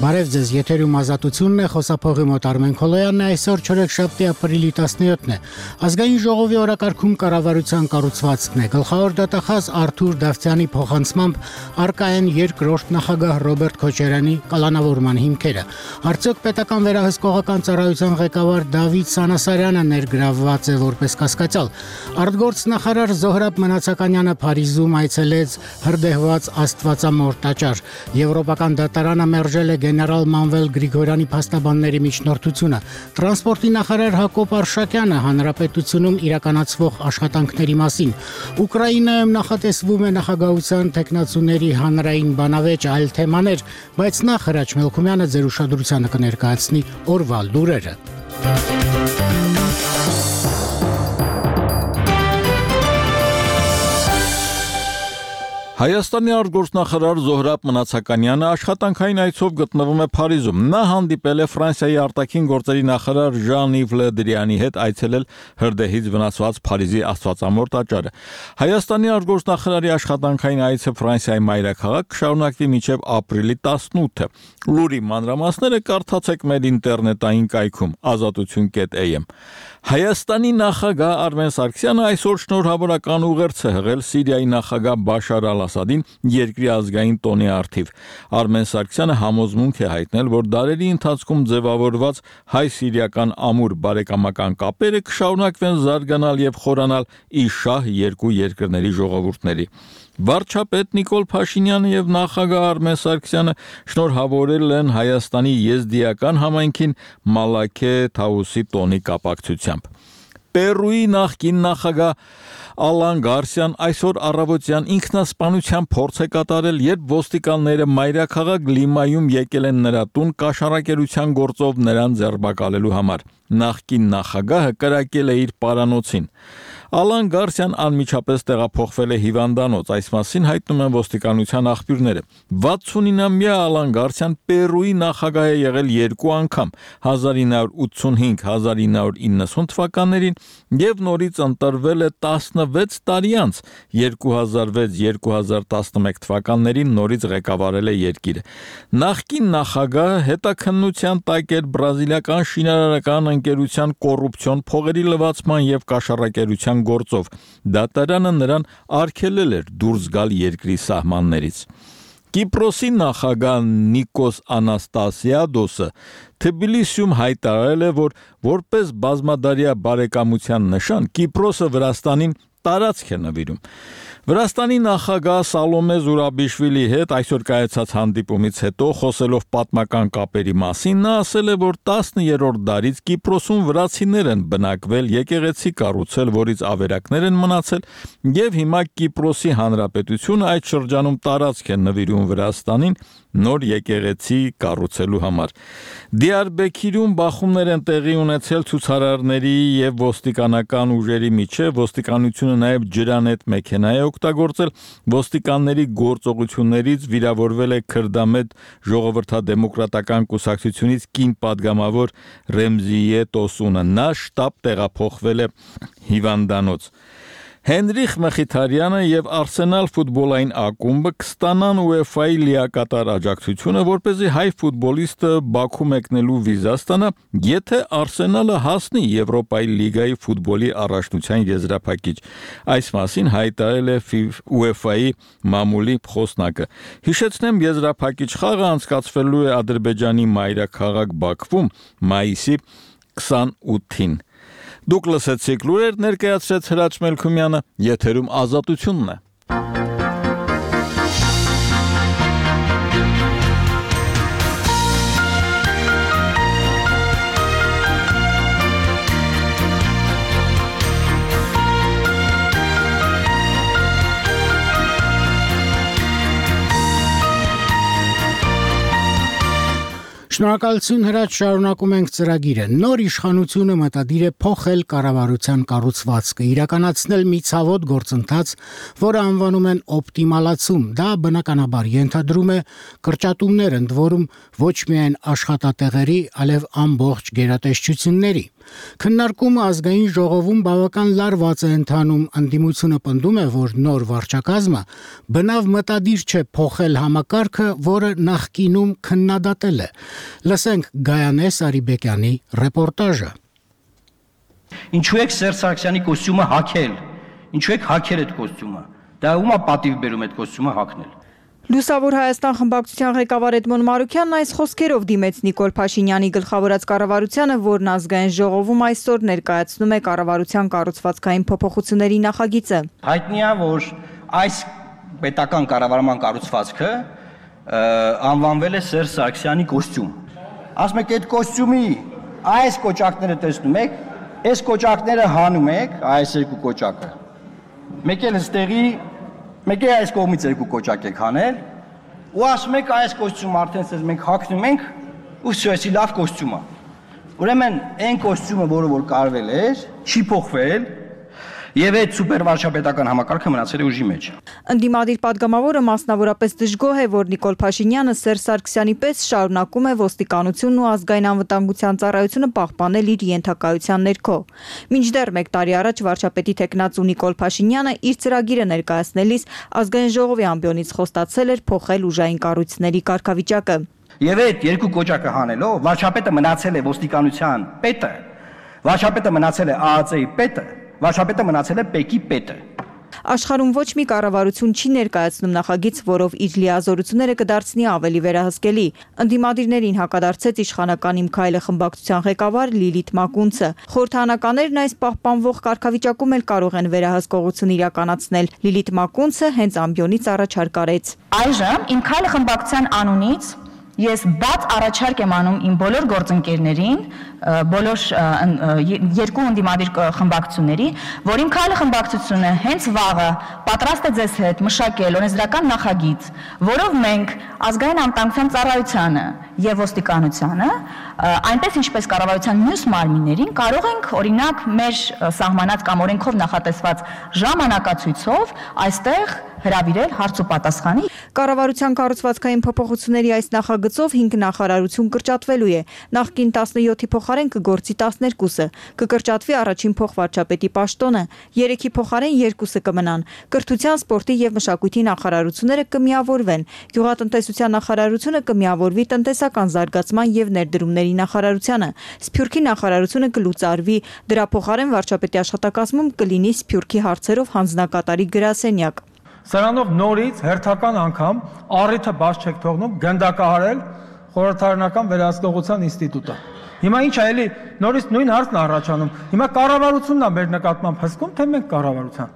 Բարև ձեզ, եթերում ազատությունն է, խոսափողի մոտ Արմեն Քոլոյանն է, այսօր չորեքշաբթի ապրիլի 17-ն է։ Ազգային ժողովի օրակարգում կառավարության կառուցվածքն է։ Գլխավոր դատախազ Արթուր Դավթյանի փոխանցմամբ առկա են երկրորդ նախագահ Ռոբերտ Քոչարյանի կալանավորման հիմքերը։ Արդյոք պետական վերահսկողական ծառայության ղեկավար Դավիթ Սանասարյանը ներգրավված է որպես կասկածյալ։ Արտգործնախարար Զոհրաբ Մնացականյանը Փարիզում այցելեց հրդեհված Աստվածամոր տաճար։ Եվրոպական դատարանը մերժել է գեներալ Մանվել Գրիգորյանի փաստաբանների միջնորդությունը։ Տրանսպորտի նախարար Հակոբ Արշակյանը հանրապետությունում իրականացվող աշխատանքների մասին։ Ուկրաինայում նախատեսվում է նախագահության տեխնացուների հանրային բանավեճ, այլ թեմաներ, բայց նախ Հրաչ Մելքումյանը ձեր ուշադրությանը կներկայացնի օրվա լուրերը։ Հայաստանի արտգործնախարար Զոհրաբ Մնացականյանը աշխատանքային այցով գտնվում է Փարիզում։ Նա հանդիպել է Ֆրանսիայի արտաքին գործերի նախարար Ժան-Իվ Լե Դրիանի հետ, այցելել հրդեհից վնասված Փարիզի Աստվածամոր տաճարը։ Հայաստանի արտգործնախարարի աշխատանքային այցը Ֆրանսիայի մայրաքաղաք կշարունակվի մինչև ապրիլի 18-ը։ Լուրի մանրամասները կարդացեք մեր ինտերնետային կայքում azatutun.am։ Հայաստանի նախագահ Արմեն Սարգսյանը այսօր շնորհավորական ուղերձ է հղել Սիրիայի նախագահ Բաշար Ասադին երկրի ազգային տոնի առթիվ։ Արմեն Սարգսյանը համոզմունք է հայտնել, որ դարերի ընթացքում ձևավորված հայ-սիրիական ամուր բարեկամական կապերը կշարունակվեն զարգանալ եւ խորանալ ի շահ երկու երկրների ժողովուրդների։ Վարչապետ Նիկոլ Փաշինյանը եւ նախագահ Արմեն Սարգսյանը շնորհավորել են Հայաստանի եզդիական համայնքին Մալաքե Թաուսի տոնի կապակցությամբ։ Պերուի նախկին նախագահ Ալան Գարսիան այսօր առավոտյան ինքնասպանության փորձ է կատարել, երբ ոստիկանները մայրաքաղաք Լիմայում եկել են նրա տուն կաշառակերության գործով նրան ձերբակալելու համար։ Նախկին նախագահը կրակել է իր պարանոցին։ Ալան Գարսիան անմիջապես տեղափոխվել է հիվանդանոց, այս մասին հայտնում են ոստիկանության աղբյուրները։ 69-ամյա Ալան Գարսիան Պերուի նախագահ է եղել երկու անգամ՝ 1985-1990 թվականներին եւ նորից ընտրվել է 16 տարի անց, 2006-2011 թվականներին նորից ղեկավարել է երկիրը։ Նախկին նախագահը հետաքննության տակ էր բրազիլիական շինարարական ընկերության կոռուպցիոն փողերի լվացման եւ կաշառակերության գործով։ Դատարանը նրան արգելել էր դուրս գալ երկրի սահմաններից։ Կիպրոսի նախագահ Նիկոս Անաստասիադոսը Թբիլիսիում հայտարարել է, որ որպես բազմադարյա բարեկամության նշան Կիպրոսը Վրաստանին տարածք է նվիրում։ Վրաստանի նախագահ Սալոմե Զուրաբիշվիլի հետ այսօր կայացած հանդիպումից հետո խոսելով պատմական կապերի մասին, նա ասել է, որ 10-րդ դարից Կիպրոսում վրացիներ են բնակվել, եկեղեցի կառուցել, որից ավերակներ են մնացել, եւ հիմա Կիպրոսի հանրապետությունը այդ շրջանում տարածք է նվիրում Վրաստանին նոր եկեղեցի կառուցելու համար։ Դիարբեքիրում բախումներ են տեղի ունեցել ցուցարարների եւ ոստիկանական ուժերի միջեւ, ոստիկանությունը նաեւ ջրանետ մեքենա է օգտագործել, ոստիկանների գործողություններից վիրավորվել է քրդամետ ժողովրդադեմոկրատական կուսակցությունից կին падգամավոր Ռեմզիե Տոսունը, նա շտաբ տեղափոխվել է հիվանդանոց։ Հենրիխ Մխիթարյանը եւ Արսենալ ֆուտբոլային ակումբը կստանան UEFA-ի լիակատար աջակցությունը, որպեսզի հայ ֆուտբոլիստը Բաքու մեկնելու վիզա ստանա, եթե Արսենալը հասնի Եվրոպայի լիգայի ֆուտբոլի առաջնության եզրափակիչ։ Այս մասին հայտարարել է UEFA-ի մամուլի խոսնակը։ Հիշեցնեմ, եզրափակիչ խաղը անցկացվելու է Ադրբեջանի մայրաքաղաք Բաքվում մայիսի 28-ին։ Դուք լսեցիք լուրեր, ներկայացրեց Հրաչ Մելքումյանը, եթերում ազատությունն է։ Շնորհակալություն Հրաչ, շարունակում ենք ծրագիրը։ Նոր իշխանությունը մտադիր է փոխել կառավարության կառուցվածքը, իրականացնել մի ցավոտ գործընթաց, որը անվանում են օպտիմալացում։ Դա բնականաբար ենթադրում է կրճատումներ, ընդ որում ոչ միայն աշխատատեղերի, այլև ամբողջ գերատեսչությունների։ Քննարկումը ազգային ժողովում բավական լարված է ընթանում, ընդդիմությունը պնդում է, որ նոր վարչակազմը բնավ մտադիր չէ փոխել համակարգը, որը նախկինում քննադատել է։ Լսենք Գայանե Սարիբեկյանի ռեպորտաժը։ Ինչու եք Սերժ Սարգսյանի կոստյումը հագել։ Ինչու եք հագել այդ կոստյումը։ Դա ումա պատիվ բերում այդ կոստյումը հագնել։ Լուսավոր Հայաստան խմբակցության ղեկավար Էդմոն Մարուկյանն այս խոսքերով դիմեց Նիկոլ Փաշինյանի գլխավորած կառավարությանը, որն ազգային ժողովում այսօր ներկայացնում է կառավարության կառուցվածքային փոփոխությունների նախագիծը։ Հայտնի է, որ այս պետական կառավարման կառուցվածքը անվանվել է Սերժ Սարգսյանի կոստյում։ Ասում եք այդ կոստյումի այս կոճակները տեսնում եք, այս կոճակները հանում եք, այս երկու կոճակը։ Մեկ էլ ստեղի Մեկ է այս կողմից երկու կոճակ եք հանել, ու ասում եք այս կոստյումը արդեն մենք հագնում ենք, ու սյոսի լավ կոստյում է։ Ուրեմն այն կոստյումը, որը որ կարվել էր, չի փոխվել, եւ այդ սուպերվարչապետական համակարգը մնացել է ուժի մեջ։ Ընդդիմադիր падգամավորը մասնավորապես դժգոհ է, որ Նիկոլ Փաշինյանը Սերժ Սարգսյանի պես շարունակում է ոստիկանությունն ու ազգային անվտանգության ծառայությունը պահպանել իր ենթակայության ներքո։ Մինչդեռ 1 տարի առաջ վարչապետի տեխնացու Նիկոլ Փաշինյանը իր ծրագիրը ներկայացնելիս ազգային ժողովի ամբիոնից խոստացել էր փոխել ուժային կառույցների կարգավիճակը։ Եվ այդ երկու կոճակը հանելով վարչապետը մնացել է ոստիկանության պետը, վարչապետը մնացել է ԱԱԾ-ի պետը, վարչապետը մնացել է ՊԵԿ-ի պետը։ Աշխարհում ոչ մի կառավարություն չի ներկայացնում նախագիծ, որով իր լիազորությունները կդարձնի ավելի վերահսկելի։ Ընդդիմադիրներին հակադարձեց իշխանական Իմ քայլը խմբակցության ղեկավար Լիլիթ Մակունցը։ Խորհրդարանականներն այս պահպանվող կարգավիճակում էլ կարող են վերահսկողություն իրականացնել։ Լիլիթ Մակունցը հենց ամբիոնից առաջարկ արեց։ Այժմ Իմ քայլը խմբակցության անունից ես բաց առաջարկ եմ անում իմ բոլոր գործընկերներին, բոլոր երկու ընդդիմադիր խմբակցությունների, որ Իմ քայլը խմբակցությունը հենց վաղը պատրաստ է ձեզ հետ մշակել օրենսդրական նախագիծ, որով մենք ազգային անվտանգության ծառայությանը եւ ոստիկանությանը, այնպես ինչպես կառավարության մյուս մարմիններին կարող ենք օրինակ մեր սահմանած կամ օրենքով նախատեսված ժամանակացույցով այստեղ հրավիրել հարց ու պատասխանի։ Կառավարության կառուցվածքային փոփոխությունների այս նախագծով 5 նախարարություն կրճատվելու է։ Նախկին 17-ի փոխարեն կգործի 12-ը։ Կկրճատվի առաջին փոխվարչապետի պաշտոնը, 3-ի փոխարեն 2-ը կմնան։ Կրթության, սպորտի եւ մշակույթի նախարարությունները կմիավորվեն։ Գյուղատնտեսության նախարարությունը կմիավորվի տնտեսական զարգացման եւ ներդրումների նախարարությանը։ Սփյուռքի նախարարությունը կլուծարվի, դրա փոխարեն վարչապետի աշխատակազմում կլինի Սփյուռքի հարցերով հանձնակատարի գրասենյակ։ Սրանով նորից հերթական անգամ առիթը բաց չեք թողնում գնդակահարել խորհրդարանական վերահսկողության ինստիտուտը։ Հիմա ինչ է էլի նորից նույն հարցն առաջանում։ Հիմա կառավարությունն է մեր նկատմամբ հսկում, թե մենք կառավարության։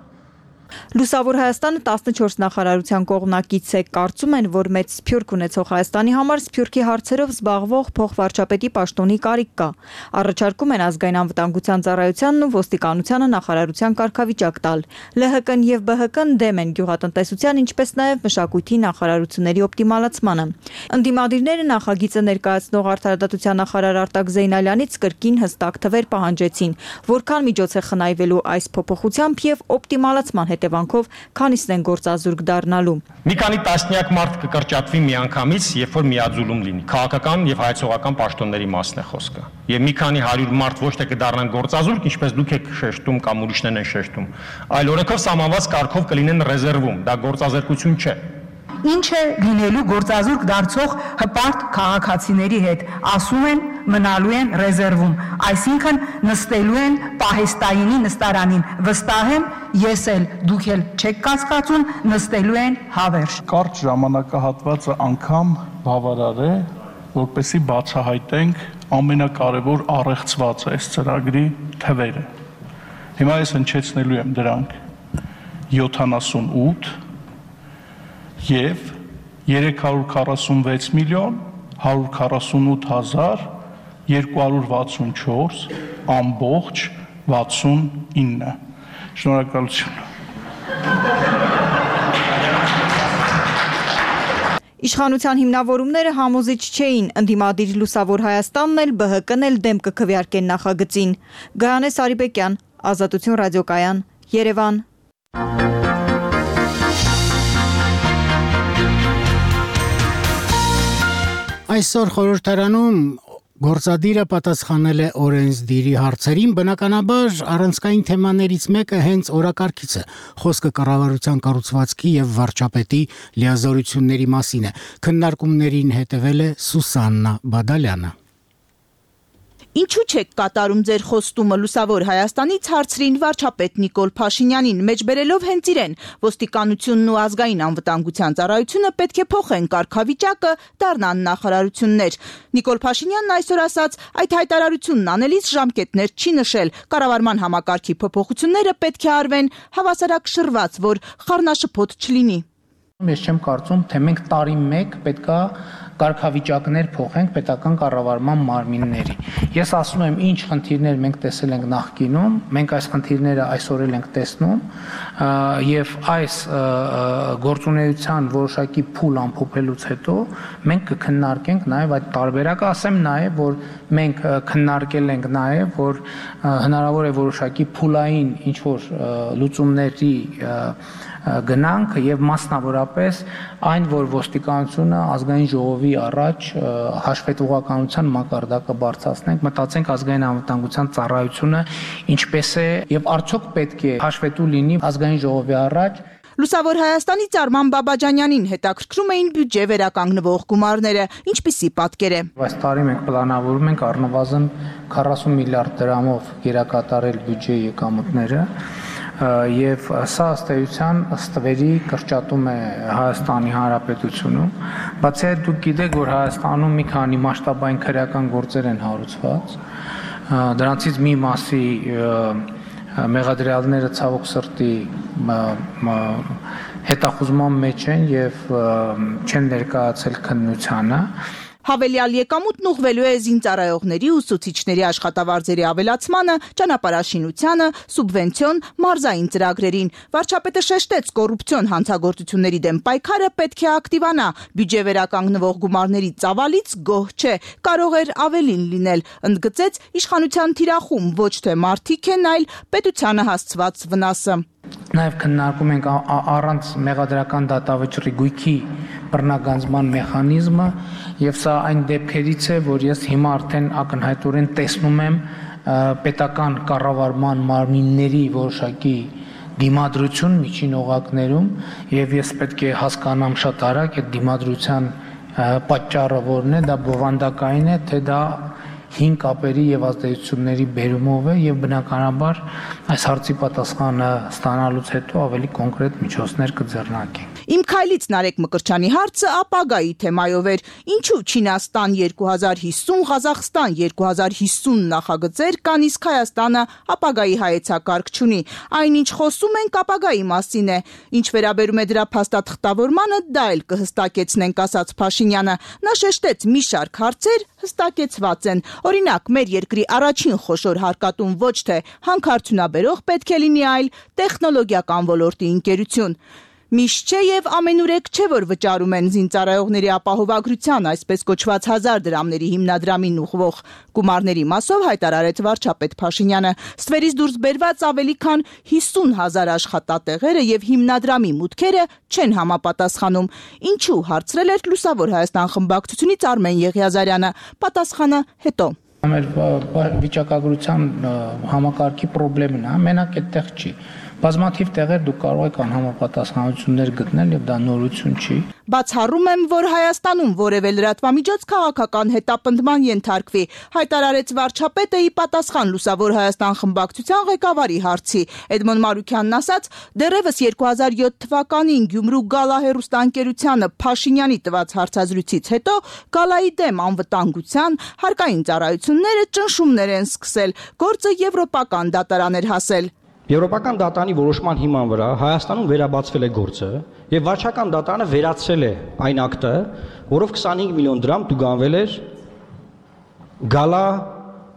Լուսավոր Հայաստանը 14 նախարարության կողմնակից է, կարծում են, որ մեծ սփյուռք ունեցող Հայաստանի համար սփյուռքի հարցերով զբաղվող փոխվարչապետի պաշտոնի կարիք կա։ Առաջարկում են ազգային անվտանգության ծառայությանն ու ոստիկանությանը նախարարության կարգավիճակ տալ։ ԼՀԿ-ն եւ ԲՀԿ-ն դեմ են գյուղատնտեսության, ինչպես նաեւ մշակույթի նախարարությունների օպտիմալացմանը։ Ընդդիմադիրները նախագիծը ներկայացնող արդարադատության նախարար Արտակ Զեյնալյանից կրկին հստակ թվեր պահանջեցին, որքան միջոց է խնայվելու այս փոփոխությամբ եւ օպտիմալացման հետևանքով քանիսն են գործազուրկ դառնալու։ Մի քանի տասնյակ մարդ կկրճատվի միանգամից, երբ որ միաձուլում լինի։ Քաղաքական եւ հայցողական պաշտոնների մասն է խոսքը։ Եվ մի քանի 100 մարդ ոչ թե կդառնան գործազուրկ, ինչպես դուք եք շեշտում կամ ուրիշներն են շեշտում, այլ օրենքով սահմանված կարգով կլինեն ռեզերվում։ Դա գործազրկություն չէ։ Ինչ է լինելու գործազուրկ դարձող հպարտ քաղաքացիների հետ, ասում են մնալու են ռեզերվում, այսինքն նստելու են պահեստայինի նստարանին, վստահ եմ, ես էլ, դուք էլ չեք կասկածում, նստելու են հավերժ։ Կարճ ժամանակահատվածը անգամ բավարար է, որպեսզի բացահայտենք ամենակարևոր առեղծված այս ծրագրի թվերը։ Հիմա ես հնչեցնելու եմ դրանք 78 եւ 346 միլիոն 148 հազար 264 ամբողջ 69։ Շնորհակալություն։ Իշխանության հիմնավորումները համոզիչ չէին, ընդդիմադիր Լուսավոր Հայաստանն էլ ԲՀԿ-ն էլ դեմ կքվեարկեն նախագծին։ Գայանե Սարիբեկյան, Ազատություն ռադիոկայան, Երևան։ Այսօր խորհրդարանում Գործադիրը պատասխանել է օրենսդիրի հարցերին, բնականաբար առանցքային թեմաներից մեկը հենց օրակարգից է։ Խոսքը կառավարության կառուցվածքի եւ վարչապետի լիազորությունների մասին է։ Քննարկումներին հետևել է Սուսաննա Բադալյանը։ Ինչու չեք կատարում ձեր խոստումը Լուսավոր Հայաստանից հարցրին վարչապետ Նիկոլ Փաշինյանին, մեջբերելով հենց իրեն։ Ոստիկանությունն ու ազգային անվտանգության ծառայությունը պետք է փոխեն կարգավիճակը, դառնան նախարարություններ։ Նիկոլ Փաշինյանն այսօր ասաց, այդ հայտարարությունն անելիս ժամկետներ չի նշել։ Կառավարման համակարգի փոփոխությունները պետք է արվեն հավասարակշռված, որ խառնաշփոթ չլինի։ Ես չեմ կարծում, թե մենք տարի մեկ պետքա կարգավիճակներ փոխենք պետական կառավարման մարմինների։ Ես ասում եմ, ինչ խնդիրներ մենք տեսել ենք նախկինում, մենք այս խնդիրները այսօր էլ ենք տեսնում, եւ այս գործունեության որոշակի փուլ ամփոփելուց հետո մենք կքննարկենք նաեւ այդ տարբերակը, ասեմ նաեւ, որ մենք քննարկել ենք նաեւ, որ հնարավոր է որոշակի փուլային ինչ որ լուծումների գնանք եւ մասնավորապես այն, որ ոստիկանությունը ազգային ժողովի առաջ հաշվետվողականության մակարդակը բարձրացնենք, մտածենք ազգային անվտանգության ծառայությունը ինչպես է եւ արդյոք պետք է հաշվետու լինի ազգային ժողովի առաջ։ Լուսավոր Հայաստանից Արման Բաբաջանյանին հետաքրքրում էին բյուջե վերականգնվող գումարները, ինչպիսի պատկեր է։ Այս տարի մենք պլանավորում ենք առնվազն 40 միլիարդ դրամով գերակատարել բյուջեի եկամուտները եւ սա ըստ էության ըստվերի կրճատում է Հայաստանի Հանրապետությունում, բացի այդ դուք գիտեք, որ Հայաստանում մի քանի մասշտաբային քրեական գործեր են հարուցված, դրանցից մի մասի մեղադրյալները ցավոք սրտի հետախուզման մեջ են եւ չեն ներկայացել քննությանը։ Հավելյալ եկամուտն ուղղվելու է զինծառայողների ու ուսուցիչների աշխատավարձերի ավելացմանը, ճանապարհաշինությանը, սուբվենցիոն մարզային ծրագրերին։ Վարչապետը շեշտեց, կոռուպցիոն հանցագործությունների դեմ պայքարը պետք է ակտիվանա, բյուջե վերականգնվող գումարների ծավալից գոհ չէ, կարող էր ավելին լինել, ընդգծեց իշխանության թիրախում ոչ թե մարդիկ են, այլ պետությանը հասցված վնասը։ Նաև քննարկում ենք առանց մեղադրական դատավճռի գույքի բռնագանձման մեխանիզմը եւ սա այն դեպքերից է, որ ես հիմա արդեն ակնհայտորեն տեսնում եմ պետական կառավարման մարմինների որոշակի դիմադրություն միջին օղակներում եւ ես պետք է հասկանամ շատ արագ այդ դիմադրության պատճառը որն է, դա բովանդակային է, թե դա հին կապերի եւ ազդեցությունների բերումով է եւ բնականաբար այս հարցի պատասխանը ստանալուց հետո ավելի կոնկրետ միջոցներ կձեռնարկենք։ Իմ քայլից Նարեկ Մկրտչյանի հարցը ապագայի թեմայով էր։ Ինչու Չինաստան 2050, Ղազախստան 2050 նախագծեր կան, իսկ Հայաստանը ապագայի հայեցակարգ չունի։ Այնինչ խոսում ենք ապագայի մասին է։ Ինչ վերաբերում է դրա փաստաթղթավորմանը, դա էլ կհստակեցնենք, ասաց Փաշինյանը։ Նա շեշտեց, մի շարք հարցեր հստակեցված են։ Օրինակ, մեր երկրի առաջին խոշոր հարկատուն ոչ թե հանքարդյունաբերող պետք է լինի, այլ տեխնոլոգիական ոլորտի ընկերություն։ Միշտ չէ եւ ամենուրեք չէ, որ վճարում են զինծառայողների ապահովագրության, այսպես կոչված 1000 դրամների հիմնադրամին ուղղվող գումարների մասով հայտարարեց վարչապետ Փաշինյանը։ Ստվերից դուրս բերված ավելի քան 50,000 աշխատատեղերը եւ հիմնադրամի մուտքերը չեն համապատասխանում։ Ինչու, հարցրել էր Լուսավոր Հայաստան խմբակցությունից Արմեն Եղիազարյանը։ Պատասխանը հետո։ Մեր վիճակագրության համակարգի խնդիրն է, մենակ այդտեղ չի։ Բազմաթիվ տեղեր դուք կարող եք անհամապատասխանություններ գտնել եւ դա նորություն չի։ Բացառում եմ, որ Հայաստանում որևէ լրատվամիջոց քաղաքական հետապնդման ենթարկվի, հայտարարեց վարչապետը ի պատասխան Լուսավոր Հայաստան խմբակցության ղեկավարի հարցի։ Էդմոն Մարուքյանն ասաց, դեռևս 2007 թվականին Գյումրու Գալա հեռուստաընկերությանը Փաշինյանի տված հարցազրույցից հետո Գալայի դեմ անվտանգության հարկային ծառայությունները ճնշումներ են սկսել, գործը եվրոպական դատարան էր հասել։ Եվրոպական դատարանի որոշման հիման վրա Հայաստանում վերաբացվել է գործը եւ վարչական դատարանը վերացրել է այն ակտը, որով 25 միլիոն դրամ տուգանվել էր Գալա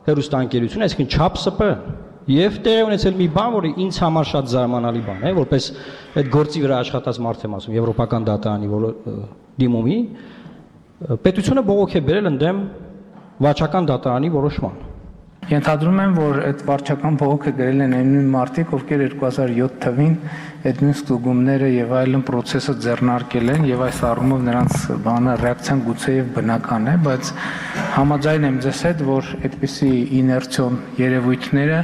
հեռուստաընկերությունը, այսինքն ՉԱՊՍՊ, եւ տեղի ունեցել մի բան, որը ինձ համար շատ զարմանալի բան է, որպես այդ գործի վրա աշխատած մարդ եմ ասում, Եվրոպական դատարանի դիմումի, պետությունը բողոք է բերել ընդդեմ վարչական դատարանի որոշման։ Ենթադրում եմ, որ այդ վարչական բողոքը գրել են այն նույն մարդիկ, ովքեր 2007 թվին այդ նույն ստուգումները եւ այլն process-ը ձեռնարկել են եւ այս առումով նրանց բանը ռեակցիան գուցեև բնական է, բայց համաձայն եմ ձեզ հետ, որ այդպիսի իներցիոն երևույթները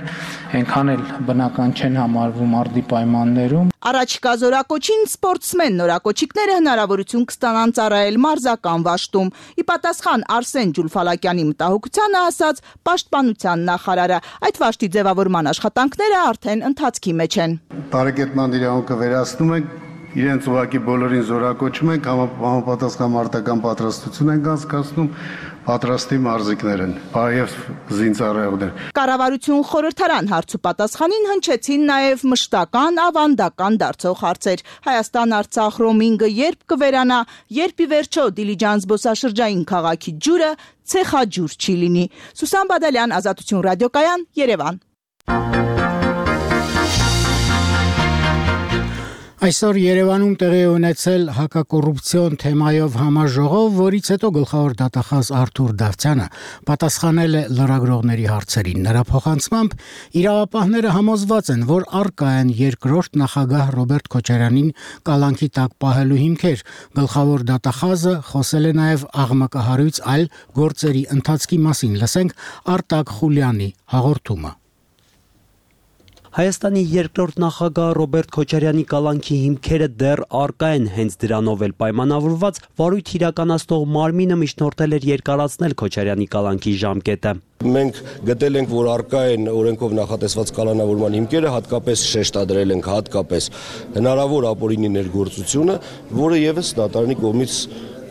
այնքան էլ բնական չեն համարվում արդի պայմաններում։ Առաջիկա զորակոչին սպորտսմեն նորակոչիկները հնարավորություն կստանան ծառայել մարզական վաշտում։ Ի պատասխան Արսեն Ջուլֆալակյանի մտահոգությանը ասաց պաշտպանության նախարարը, այդ վաշտի ձևավորման աշխատանքները արդեն ընթացքի մեջ են։ Տարեկետնան իրավունքը վերացնում ենք, իրենց ուղղակի բոլորին զորակոչում ենք, համապատասխան մարտական պատրաստություն ենք անցկացնում, պատրաստի մարզիկներ են, եւ զինծառայողներ։ Կառավարություն խորհրդարան հարցու պատասխանին հնչեցին նաև մշտական ավանդական դարձող հարցեր։ Հայաստան-Արցախ ռոմինգը երբ կվերանա, երբ ի վերջո Դիլիջան զբոսաշրջային քաղաքի ջուրը ցեխաջուր չի լինի։ Սուսան Բադալյան, Ազատություն ռադիոկայան, Երևան։ Այսօր Երևանում տեղի ունեցել հակակոռուպցիոն թեմայով համաժողով, որից հետո գլխավոր դատախազ Արթուր Դավթյանը պատասխանել է լրագրողների հարցերին։ Նրա փոխանցմամբ իրավապահները համոզված են, որ առկա են երկրորդ նախագահ Ռոբերտ Քոչարյանին կալանքի տակ պահելու հիմքեր։ Գլխավոր դատախազը խոսել է նաև աղմկահարույց այլ գործերի ընթացքի մասին։ Լսենք Արտակ Խուլյանի հաղորդումը։ Հայաստանի երկրորդ նախագահ Ռոբերտ Քոչարյանի կալանքի հիմքերը դեռ առկա են, հենց դրանով էլ պայմանավորված վարույթ իրականացնող մարմինը միջնորդել էր երկարացնել Քոչարյանի կալանքի ժամկետը։ Մենք գտել ենք, որ առկա են օրենքով նախատեսված կալանավորման հիմքերը, հատկապես շեշտադրել ենք հատկապես հնարավոր ապօրինի ներգործությունը, որը եւս դատարանի կողմից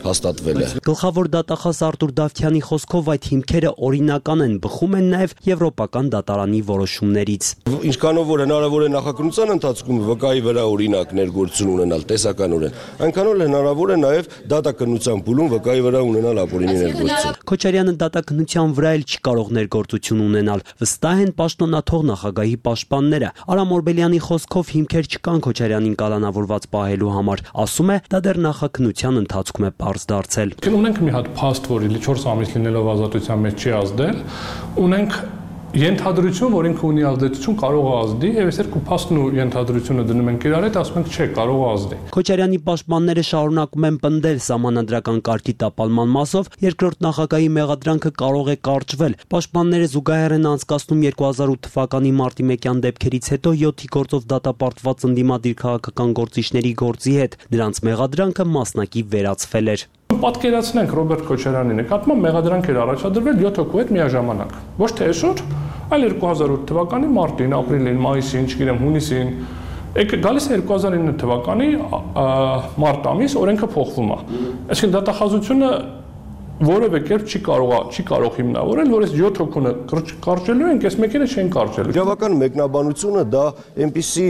հաստատվել է։ Գլխավոր դատախազ Արթուր Դավթյանի խոսքով այդ հիմքերը օրինական են, բխում են նաև եվրոպական դատարանի որոշումներից։ Ինչքանով որ հնարավոր է նախաքննության ընթացքում վկայի վրա օրինակ ներգործություն ունենալ տեսականորեն, այնքանով հնարավոր է նաև դատաքննության փուլում վկայի վրա ունենալ ապօրինի ներգործություն։ Քոչարյանը դատաքննության վրա էլ չի կարող ներգործություն ունենալ, վստահ են պաշտոնաթող նախագահի պաշտպանները։ Արամ Օրբելյանի խոսքով հիմքեր չկան Քոչարյանին կալանավորված պահելու համար, ասում է, դա դեռ նախաքննության ընթացքում է դարձել։ Ունենք մի հատ փաստ, որ 4 ամիս լինելով ազատության մեջ չի ազդել, ունենք ենթադրություն, որ ինքը ունի ազդեցություն, կարող է ազդի, եւ այս երկու փաստն ու ենթադրությունը դնում ենք իրար հետ, ասում ենք չէ, կարող է ազդի։ Քոչարյանի պաշտպանները շարունակում են պնդել սահմանադրական կարգի տապալման մասով երկրորդ նախագահի մեղադրանքը կարող է կարճվել։ Պաշտպանները զուգահեռ են անցկացնում 2008 թվականի մարտի 1-յան դեպքերից հետո 7-ի գործով դատապարտված ընդդիմադիր քաղաքական գործիչների գործի հետ։ Նրանց մեղադրանքը մասնակի վերացվել էր։ Պատկերացնենք Ռոբերտ Քոչարյանի նկատմամբ մեղադրանք էր առաջադրվել 7 հոգու հետ միաժամանակ։ Ոչ թե այսօր, այլ 2008 թվականի մարտին, ապրիլին, մայիսին, չգիտեմ, հունիսին, գալիս է 2009 թվականի մարտ ամիս, օրենքը փոխվում է։ Այսինքն դատախազությունը որևէ կերպ չի կարող հիմնավորել, որ այս 7 հոգունը կարճելու են, այս մեկինը չեն կարճելու։ Իրավական մեկնաբանությունը դա այնպիսի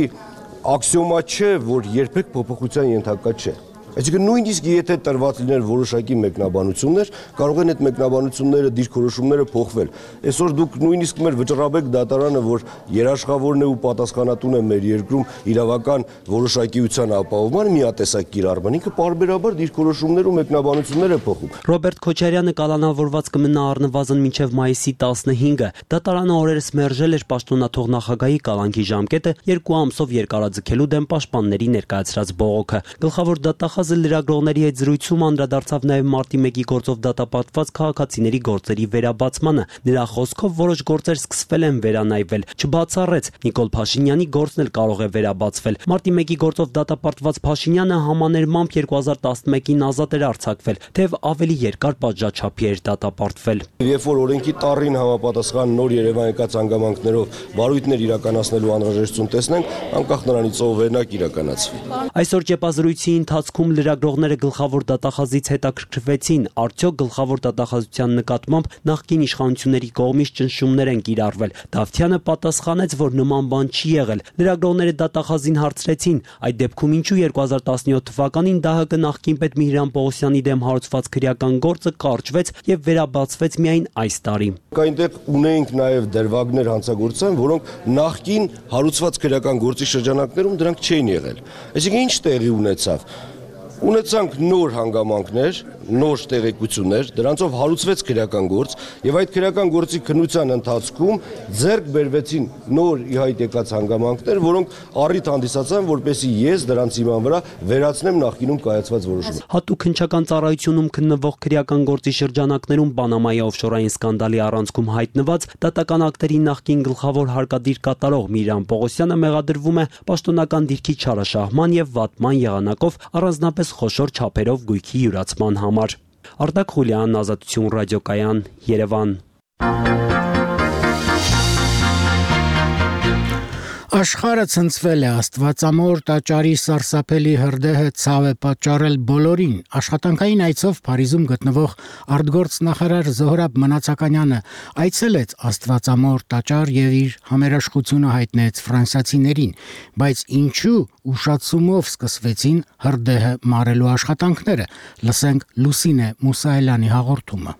աքսիոմա չէ, որ երբեք փոփոխության ենթակա չէ։ Այսինքն նույնիսկ եթե տրված լիներ որոշակի մեկնաբանություններ, կարող են այդ մեկնաբանությունները, դիրքորոշումները փոխվել։ Այսօր դուք նույնիսկ մեր վճռաբեկ դատարանը, որ երաշխավորն է ու պատասխանատուն է մեր երկրում իրավական որոշակիության ապահովման, միատեսակ կիրառման, ինքը պարբերաբար դիրքորոշումներ ու մեկնաբանություններ է փոխում։ Ռոբերտ Քոչարյանը կալանավորված կմնա առնվազն մինչև մայիսի 15-ը։ Դատարանը օրերս մերժել էր պաշտոնաթող նախագահի կալանքի ժամկետը 2 ամսով երկարաձգելու դեմ պաշտպանների ներկայացրած բողոքը։ Գլխավոր դատախազը լրագրողների հետ զրույցում անդրադարձավ նաև մարտի 1-ի գործով դատապարտված քաղաքացիների գործերի վերաբացմանը։ Նրա խոսքով որոշ գործեր սկսվել են վերանայվել, չբացառեց Նիկոլ Փաշինյանի գործն էլ կարող է վերաբացվել։ Մարտի 1-ի գործով դատապարտված Փաշինյանը համաներմամբ 2011-ին ազատ էր արձակվել, թեև ավելի երկար պատժաչափի էր դատապարտվել։ Երբ որ օրենքի տառին համապատասխան նոր Երևան եկած հանգամանքներով վարույթներ իրականացնելու անհրաժեշտություն տեսնենք, անկախ նրանից ով վերնակ իրականացվի։ Այսօր ճեպազրույցի ընթացքում լրագրողները գլխավոր դատախազից հետաքրքրվեցին, արդյոք գլխավոր դատախազության նկատմամբ նախկին իշխանությունների կողմից ճնշումներ են կիրառվել։ Դավթյանը պատասխանեց, որ նման բան չի եղել։ Լրագրողները դատախազին հարցրեցին, այդ դեպքում ինչու 2017 թվականին ԴՀԿ նախկին պետ Միհրան Պողոսյանի դեմ հարուցված քրեական գործը կարճվեց եւ վերաբացվեց միայն այս տարի։ Այնտեղ ունեինք նաեւ դրվագներ հանցագործության, որոնք նախկին հարուցված քրեական գործի շրջանակներում դրանք չէին եղել։ Այսինքն ինչ տեղի ունեցավ։ Ունեցանք նոր հանգամանքներ, նոր տեղեկություններ, դրանցով հարուցվեց քրեական գործ եւ այդ քրեական գործի քննության ընթացքում ձեռք բերվեցին նոր ի հայտ եկած հանգամանքներ, որոնք առիթ հանդիսացան, որպեսզի ես դրանց հիման վրա վերացնեմ նախկինում կայացված որոշումը։ Հատուկ հնչական ծառայությունում քննվող քրեական գործի շրջանակներում Պանամայի օֆշորային սկանդալի առանցքում հայտնված դատական ակտերի նախկին գլխավոր հարկադիր կատարող Միրան Պողոսյանը մեղադրվում է պաշտոնական դիրքի չարաշահման եւ վատման եղանակով առանձնապես խոշոր չափերով գույքի յուրացման համար։ Արտակ Խուլյան, Ազատություն ռադիոկայան, Երևան։ Աշխարհը ցնցվել է Աստվածամոր տաճարի սարսափելի հրդեհը ցավ է պատճառել բոլորին։ Աշխատանքային այցով Փարիզում գտնվող արտգործ նախարար Զոհրաբ Մնացականյանը այցելեց Աստվածամոր տաճար եւ իր համերաշխությունը հայտնեց ֆրանսիացիներին, բայց ինչու ուշացումով սկսվեցին հրդեհը մարելու աշխատանքները։ Լսենք Լուսինե Մուսայելյանի հաղորդումը։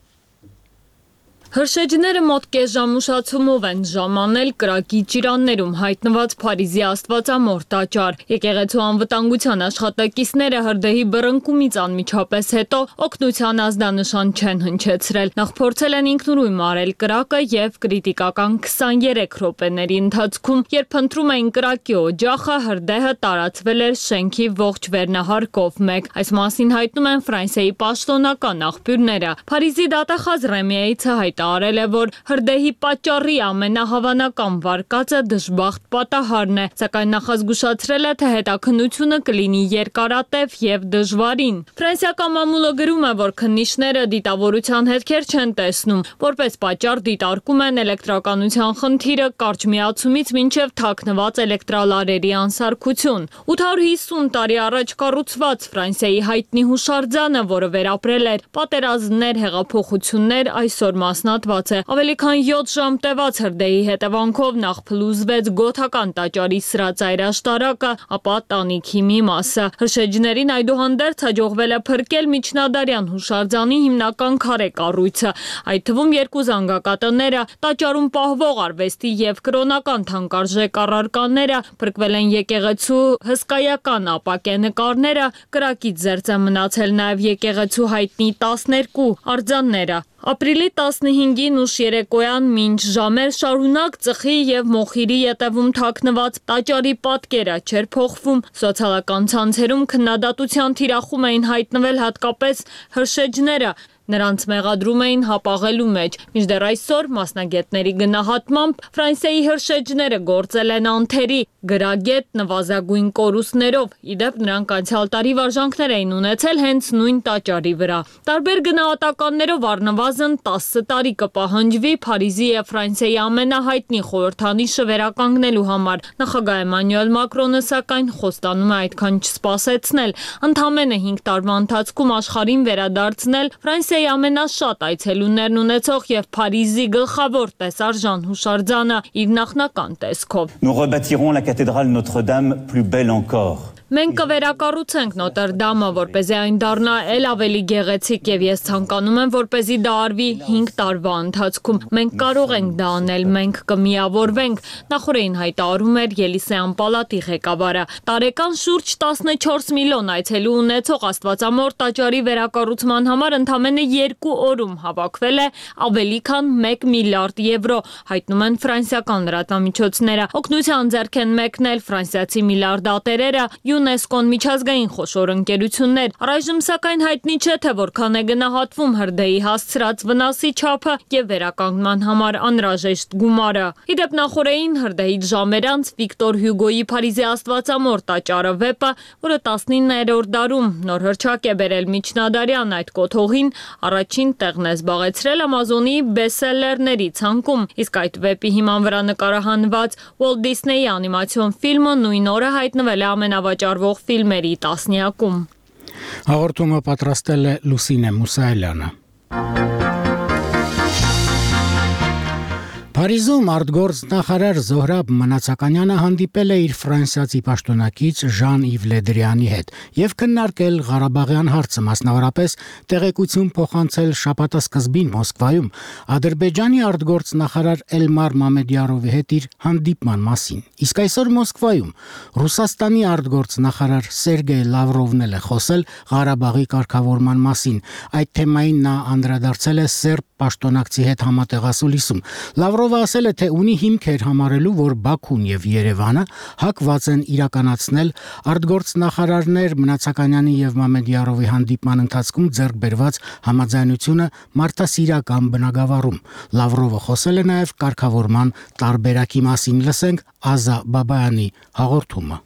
Հրշեջները մոտ կես ժամ ուշացումով են ժամանել կրակի ճիրաններում հայտնված Փարիզի Աստվածամոր տաճար։ Եկեղեցու անվտանգության աշխատակիցները հրդեհի բռնկումից անմիջապես հետո օգնության ազդանշան չեն հնչեցրել։ Նախ փորձել են ինքնուրույն մարել կրակը եւ կրիտիկական 23 րոպեների ընթացքում, երբ փնտրում էին կրակի օջախը, հրդեհը տարածվել էր շենքի ողջ վերնահարկով մեկ։ Այս մասին հայտնում են Ֆրանսիայի պաշտոնական աղբյուրները։ Փարիզի դատախազ Ռեմիայիցը արել է, որ հրդեհի պատճառի ամենահավանական վարկածը դժբախտ պատահարն է, սակայն նախազգուշացրել է, թե հետաքննությունը կլինի երկարատև եւ դժվարին։ Ֆրանսիական մամուլը գրում է, որ քննիչները դիտավորության հետքեր չեն տեսնում, որպես պատճառ դիտարկում են էլեկտրականության խնդիրը կարճ միացումից մինչև թաքնված էլեկտրալարերի անսարքություն։ 850 տարի առաջ կառուցված Ֆրանսիայի հայտնի հուշարձանը, որը վերապրել էր պատերազմներ, հեղափոխություններ, այսօր մասնատված է։ Ավելի քան 7 ժամ տևած հրդեհի հետևանքով նախ փլուզվեց գոթական տաճարի սրածայր աշտարակը, ապա տանիքի մի մասը։ Հրշեջներին այդուհանդերձ հաջողվել է փրկել միջնադարյան հուշարձանի հիմնական քարե կառույցը, այդ թվում 2 զանգակատները, տաճարում պահվող արվեստի եւ կրոնական թանկարժեք առարկաները, փրկվել են եկեղեցու հսկայական ապակե նկարները, կրակից զերծ է մնացել նաեւ եկեղեցու հայտնի 12 արձանները։ Ապրիլի 15-ին ուշ երեկոյան մինչ ժամեր շարունակ ծխի եւ մոխիրի ետևում թաքնված տաճարի պատկերը չէր փոխվում, սոցիալական ցանցերում քննադատության թիրախում էին հայտնվել հատկապես հրշեջները, նրանց մեղադրում էին հապաղելու մեջ։ Մինչդեռ այսօր մասնագետների գնահատմամբ Ֆրանսիայի հրշեջները գործել են անթերի, գրագետ նվազագույն կորուստներով, իդեպ նրանք անցյալ տարի վարժանքներ էին ունեցել հենց նույն տաճարի վրա։ Տարբեր գնահատականներով առնվազն 10 տարի կպահանջվի Փարիզի եւ Ֆրանսիայի ամենահայտնի խորհրդանիշը վերականգնելու համար։ Նախագահ Էմանուել Մակրոնը սակայն խոստանում է այդքան չսպասեցնել, ընդամենը 5 տարվա ընթացքում աշխարհին վերադարձնել Ֆրանսիայի ամենաշատ այցելուներն ունեցող եւ Փարիզի գլխավոր տեսարժան հուշարձանը իր նախնական տեսքով։ Nous rebâtirons la cathédrale Notre-Dame plus belle encore. Մենք կվերակառուցենք Նոտրդամը, որպեսզի այն դառնա ել ավելի գեղեցիկ եւ ես ցանկանում եմ, որպեսզի դա արվի 5 տարվա ընթացքում։ Մենք կարող ենք դա անել, մենք կմիավորվենք, նախորդին հայտարարում էր Ելիսեյան պալատի ղեկավարը։ Տարեկան շուրջ 14 միլիոն այցելու ունեցող Աստվածամոր տաճարի վերակառուցման համար ընդամենը 2 օրում հավաքվել է ավելի քան 1 միլիարդ եվրո, հայտնում են ֆրանսիական լրատվամիջոցները։ Օգնության ձեռք են մեկնել ֆրանսիացի միլիարդատերերը, ՅՈՒՆԵՍԿՕ-ն միջազգային խոշոր ընկերություններ, առայժմ սակայն հայտնի չէ, թե որքան է գնահատվում հրդեհի հասցրած վնասի չափը եւ վերականգնման համար անհրաժեշտ գումարը։ Իդեպ նախորդին հրդեհից ժամեր անց Վիկտոր Հյուգոյի Փարիզի Աստվածամոր տաճարը վեպը, որը 19-րդ դարում նոր հռչակ է բերել միջնադարյան այդ կոթողին, առաջին տեղն է զբաղեցրել Ամազոնի բեսթսելերների ցանկում, իսկ այդ վեպի հիման վրա նկարահանված Walt Disney-ի անիմացիոն ֆիլմը նույն օրը հայտնվել է ամենավաճառվող ֆիլմերի տասնյակում։ Հաղորդումը պատրաստել է Լուսինե Մուսայելյանը։ Փարիզում արտգործ նախարար Զոհրաբ Մնացականյանը հանդիպել է իր ֆրանսիացի պաշտոնակից Ժան-Իվ Լեդրյանի հետ եւ քննարկել Ղարաբաղյան հարցը, մասնավորապես տեղեկություն փոխանցել շաբաթասկզբին Մոսկվայում Ադրբեջանի արտգործ նախարար Էլմար Մամեդյարովի հետ իր հանդիպման մասին։ Իսկ այսօր Մոսկվայում Ռուսաստանի արտգործ նախարար Սերգեյ Լավրովն է խոսել Ղարաբաղի կարգավորման մասին։ Այդ թեմային նա անդրադարձել է սերբ պաշտոնակցի հետ համատեղասուլիսում։ Լավրովը ասել է, թե ունի հիմքեր համարելու, որ Բաքուն եւ Երևանը հակված են իրականացնել արտգործ նախարարներ Մնացականյանի եւ Մամեդյարովի հանդիպման ընթացքում ձեռք բերված համաձայնությունը մարդասիրական բնագավառում։ Լավրովը խոսել է նաեւ կարգավորման տարբերակի մասին։ Լսենք Ազա Բաբայանի հաղորդումը։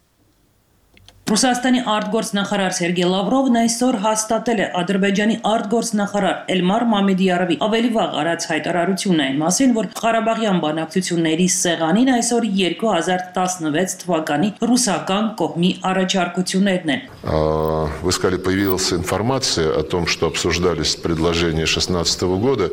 Ռուսաստանի արտգործնախարար Սերգեյ Լավրովն այսօր հաստատել է Ադրբեջանի արտգործնախարար Էլմար Մամեդյարովի ավելի վաղ արած հայտարարությունն այն մասին, որ Ղարաբաղյան բանակցությունների սեղանին այսօր 2016 թվականի ռուսական կողմի առաջարկություններն են։ Вы сказали, появилась информация о том, что обсуждались предложения 2016 года.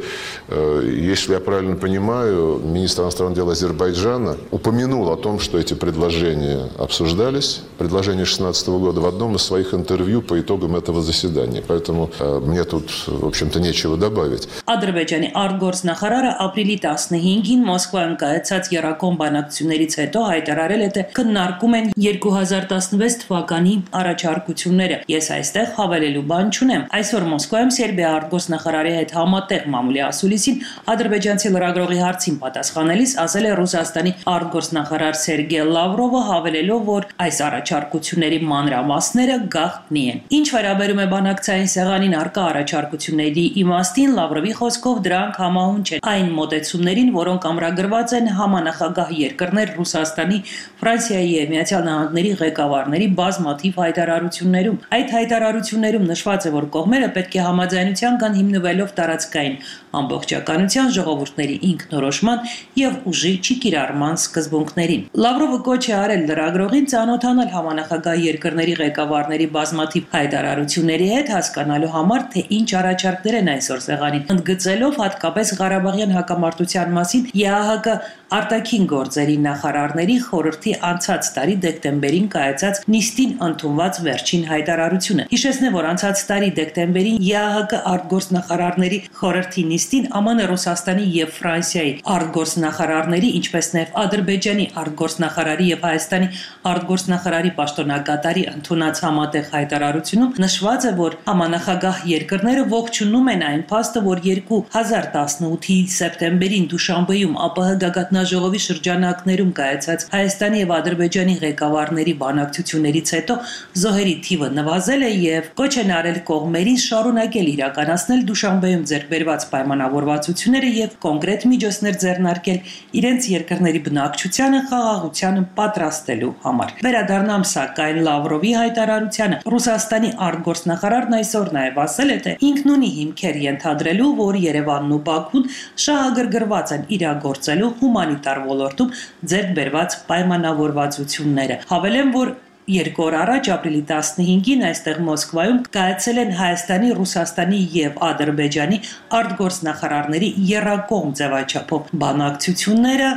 Если я правильно понимаю, министр иностранных дел Азербайджана упомянул о том, что эти предложения обсуждались. Предложения 2016 года в одном из своих интервью по итогам этого заседания. Поэтому мне тут, в общем-то, нечего добавить. Ադրբեջանի արտգործնախարարը ապրիլի 15-ին Մոսկվայում կայացած երակոմ բանակցություններից հետո հայտարարել է, թե քննարկում են 2016 թվականի առաջարկությունները։ Ես այստեղ հավելելու բան չունեմ։ Այսօր Մոսկվայում Սերբիա արտգործնախարարի հետ համատեղ մամուլի ասուլիսին ադրբեջանցի լրագրողի հարցին պատասխանելիս ասել է Ռուսաստանի արտգործնախարար Սերգեյ Լավրովը, հավելելով, որ այս առաջարկությունների մանրամասները գաղտնի են։ Ինչ վերաբերում է բանակցային սեղանին առկա առաջարկությունների իմաստին, Լավրովի խոսքով դրանք համահունչ են այն մոտեցումներին, որոնք ամրագրված են համանախագահ երկրներ Ռուսաստանի, Ֆրանսիայի եւ Միացյալ Նահանգների ղեկավարների բազմաթիվ հայտարարություններում։ Այդ հայտարարություններում նշված է, որ կողմերը պետք է համաձայնության կան հիմնվելով տարածքային ամբողջականության, ժողովուրդների ինքնորոշման եւ ուժի չկիրառման սկզբունքներին։ Լավրովը կոչ է արել լրագրողին ծանոթանալ համանախագահ երկրների ղեկավարների բազմաթիվ հայտարարությունների հետ, հասկանալու համար, թե ինչ առաջարկներ են այսօր սեղանին, ընդգծելով հատկապես Ղարաբաղյան հակամարտության մասին ԵԱՀԿ արտաքին գործերի նախարարների խորհրդի անցած տարի դեկտեմբերին կայացած նիստին ընդունված վերջին հայտարարությունը։ Հիշեցնեմ, որ անցած տարի դեկտեմբերին ԵԱՀԿ արտգործնախարարների խորհրդի նիստին ԱՄՆ, Ռուսաստանի եւ Ֆրանսիայի արտգործնախարարների, ինչպես նաեւ Ադրբեջանի արտգործնախարարի եւ Հայաստանի արտգործնախարարի պաշտոնակատարի ընդունած համատեղ հայտարարությունում նշված է, որ համանախագահ երկրները ողջունում են այն փաստը, որ 2018-ի սեպտեմբերին Դուշանբեում ԱՊՀ գագաթնաժողովի շրջանակներում կայացած Հայաստանի եւ Ադրբեջանի ղեկավարների բանակցություններից հետո զոհերի թիվը նվազել է եւ կոչ են արել կողմերին շարունակել իրականացնել Դուշանբեում ձեռքբերված պայմանավորվածությունները եւ կոնկրետ միջոցներ ձեռնարկել իրենց երկրների բնակչությանը խաղաղությանը պատրաստելու համար։ Վերադառնամ սակայն Լավրովի հայտարարությանը։ Ռուսաստանի արտգործնախարարն այսօր նաեւ ասել է, թե ինքն ունի հիմքեր ենթադրելու, որ Երևանն ու Բաքուն շահագրգռված են իրագործելու հումանիտար ոլորտում ձեռք բերված պայմանավորվածությունները։ Հավելեմ, որ 2 օր առաջ ապրիլի 15-ին այստեղ Մոսկվայում կայացել են Հայաստանի, Ռուսաստանի եւ Ադրբեջանի արտգործնախարարների եռակողմ ձևաչափով բանակցությունները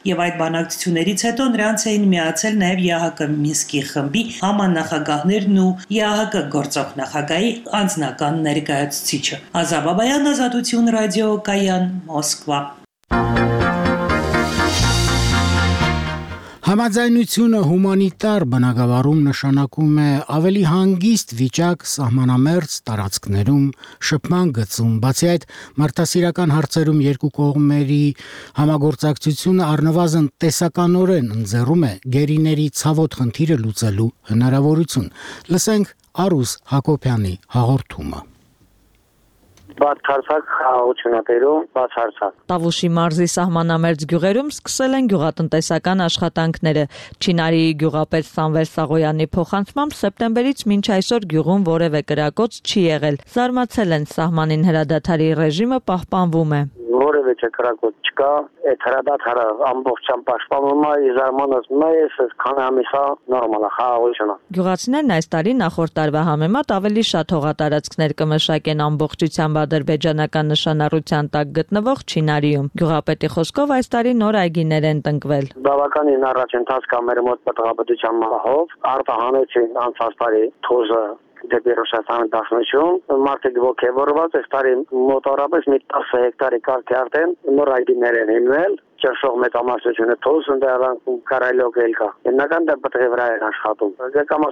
եւ այդ բանակցություններից հետո նրանց էին միացել նաեւ ԵԱՀԿ Մինսկի խմբի համանախագահներն ու ԵԱՀԿ գործող նախագահի անձնական ներկայացուցիչը։ Ազա Բաբայան, Ազատություն ռադիո, Կայան, Մոսկվա։ Համաձայնությունը հումանիտար բնագավառում նշանակում է ավելի հանգիստ վիճակ սահմանամերձ տարածքներում, շփման գծում, բացի այդ մարդասիրական հարցերում երկու կողմերի համագործակցությունը առնվազն տեսականորեն ընձեռում է գերիների ցավոտ խնդիրը լուծելու հնարավորություն։ Լսենք Արուս Հակոբյանի հաղորդումը։ Բացարձակ խաղաղությունատերում բացարձակ Տավուշի մարզի սահմանամերձ գյուղերում սկսել են գյուղատնտեսական աշխատանքները։ Չինարի գյուղապետ Սամվել Սաղոյանի փոխանցմամբ սեպտեմբերից մինչ այսօր գյուղում որևէ կրակոց չի եղել։ Զարմացել են, սահմանին հրադադարի ռեժիմը պահպանվում է։ Որևէ ոչ կրակոտ չկա, այդ հրադադարը ամբողջությամբ պաշտպանում է, իզարմանս մեծ, քանի ամիսա նորմալ է խաղաղությունը։ Գյուղացիներն այս տարի նախորդ տարվա համեմատ ավելի շատ հողատարածքներ կմշակեն ամբողջությամբ ադրբեջանական նշանառության տակ գտնվող Չինարիում։ Գյուղապետի խոսքով այս տարի նոր այգիներ են տնկվել։ Բավականին առաջընթաց կա մեր մոտ պատղաբդության մահով, արտահանեցին անցած տարի թոզը դեպի Ռուսաստանը դաշնություն, մարդիկ ոգևորված, այս տարի մոտավորապես մի 10 հեկտարի կարգի արդեն նոր այգիներ են հիմնել, ճաշող մեծամասնությունը թոզ ընդհանրապես կարայլոք կա։ Հիմնական դեպքի վրա են աշխատում։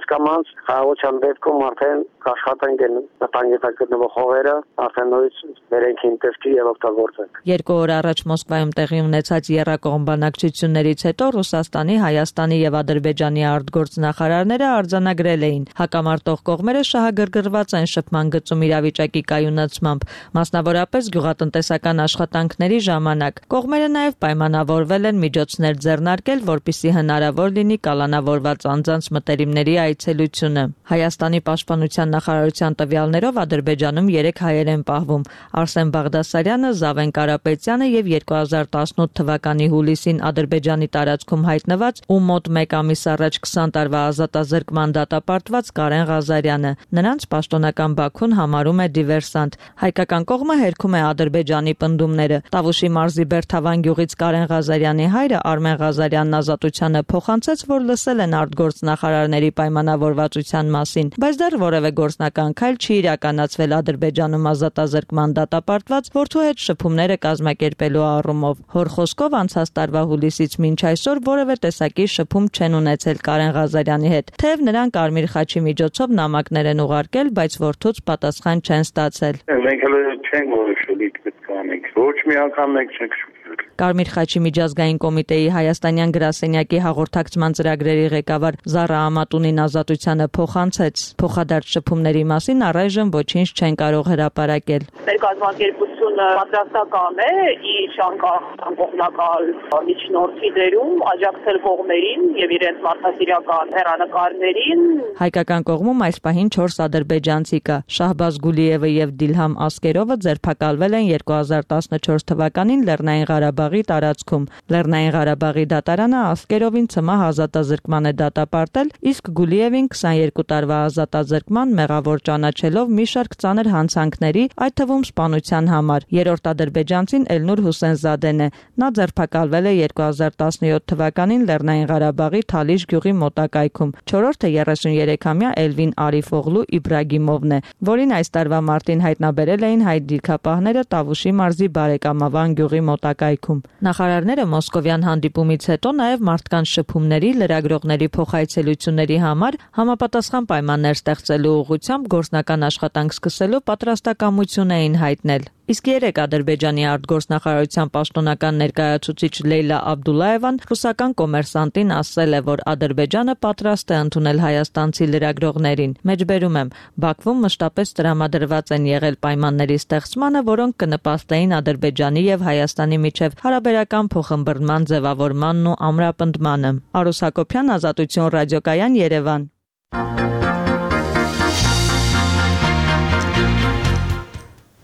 Կամաց խաղաղության դեպքում արդեն աշխատանք են տանգի տակ գտնվող հողերը արդեն նույնիսկ վերենքին տեսքի եւ օգտագործել։ 2 օր առաջ Մոսկվայում տեղի ունեցած եռակողմ բանակցություններից հետո Ռուսաստանի, Հայաստանի եւ Ադրբեջանի արտգործնախարարները արձանագրել էին հակամարտող կողմերը շահագրգռված են շփման գծում իրավիճակի կայունացմամբ, մասնավորապես գյուղատնտեսական աշխատանքների ժամանակ։ Կողմերը նաեւ պայմանավորվել են միջոցներ ձեռնարկել, որպեսզի հնարավոր լինի կալանավորված անձանց մտերիմների այցելությունը։ Հայաստանի պաշտպանության նախարարության տվյալներով Ադրբեջանում 3 հայեր են պահվում՝ Արսեն Բաղդասարյանը, Զավեն Կարապետյանը եւ 2018 թվականի հուլիսին Ադրբեջանի տարածքում հայտնված ու մոտ 1 ամիս առաջ 20 տարվա ազատազրկման դատապարտված Կարեն Ղազարյանը։ Նրանց պաշտոնական Բաքուն համարում է դիվերսանտ։ Հայկական կողմը հերքում է Ադրբեջանի պնդումները։ Տավուշի մարզի Բերթավան գյուղից Կարեն Ղազարյանի հայրը Արմեն Ղազարյանն ազատությանը փոխանցեց, որ լսել են արտգործնախարարների պայմանավորվածության մասին, բայց դեռ որևէ գործնական քայլ չի իրականացվել Ադրբեջանում ազատազրկման դատապարտված որդու հետ շփումները կազմակերպելու առումով։ Հոր խոսքով անցած տարվա հուլիսից մինչ այսօր որևէ տեսակի շփում չեն ունեցել Կարեն Ղազարյանի հետ, թեև նրան Կարմիր խաչի միջոցով նամակներ են ուղարկել, բայց որդուց պատասխան չեն ստացել։ Մենք հələ չենք որոշել ինչ պետք է անենք, ոչ մի անգամ մենք չենք շփվել։ Կարմիր խաչի միջազգային կոմիտեի հայաստանյան գրասենյակի հաղորդակցման ծրագրերի ղեկավար Զարա Ամատունին ազատությանը փոխանցեց։ Փոխադարձ շփումների մասին առայժմ ոչինչ չեն կարող հրապարակել։ Մեր կազմակերպությունը պատրաստական է իր կողմնակալ միջնորդի դերում աջակցել կողմերին եւ իրենց մարդասիրական հեռանկարներին։ Հայկական կողմում այս պահին 4 ադրբեջանցի կա։ Շահբազ Գուլիևը եւ Դիլհամ Ասկերովը ձերբակալվել են 2014 թվականին Լեռնային Ղարաբաղի տարածքում։ Լեռնային Ղարաբաղի դատարանը Ասկերովին ցմահ ազատազրկման է դատապարտել, իսկ Գուլիևին 22 տարվա ազատազրկման մեղավոր ճանաչելով մի շարք ծանր հանցանքների, այդ թվում սպանության համար։ Երրորդ ադրբեջանցին Էլնուր Հուսենզադեն է։ Նա ձերբակալվել է 2017 թվականին Լեռնային Ղարաբաղի Թալիշ գյուղի մոտակայքում։ Չորրորդը 33-ամյա Էլվին Արիֆօղլու Իբրագիմովն է, որին այս տարվա մարտին հայտնաբերել էին հայ դիրքապահները Տավուշի մարզի Բարեկամավան գյուղի մոտակայքում։ Նախարարները մոսկովյան հանդիպումից հետո նաև մարդկանց շփումների, լրագրողների փոխայցելությունների համար համապատասխան պայմաններ ստեղծելու ուղղությամբ գործնական աշխատանք սկսելու պատրաստակամություն էին հայտնել։ Իսկ երեք Ադրբեջանի արտգործնախարարության պաշտոնական ներկայացուցիչ Լեյլա Աբդուլլաևան ռուսական կոմերսանտին ասել է, որ Ադրբեջանը պատրաստ է ընդունել հայաստանցի լրագրողներին։ Մեջբերում եմ, Բաքվում մշտապես տրամադրված են եղել պայմանների ստեղծմանը, որոնք կնպաստեին Ադրբեջանի եւ Հայաստանի միջև հարաբերական փոխըմբռնման ձևավորմանն ու ամրապնդմանը։ Արուս Հակոբյան, Ազատություն ռադիոկայան, Երևան։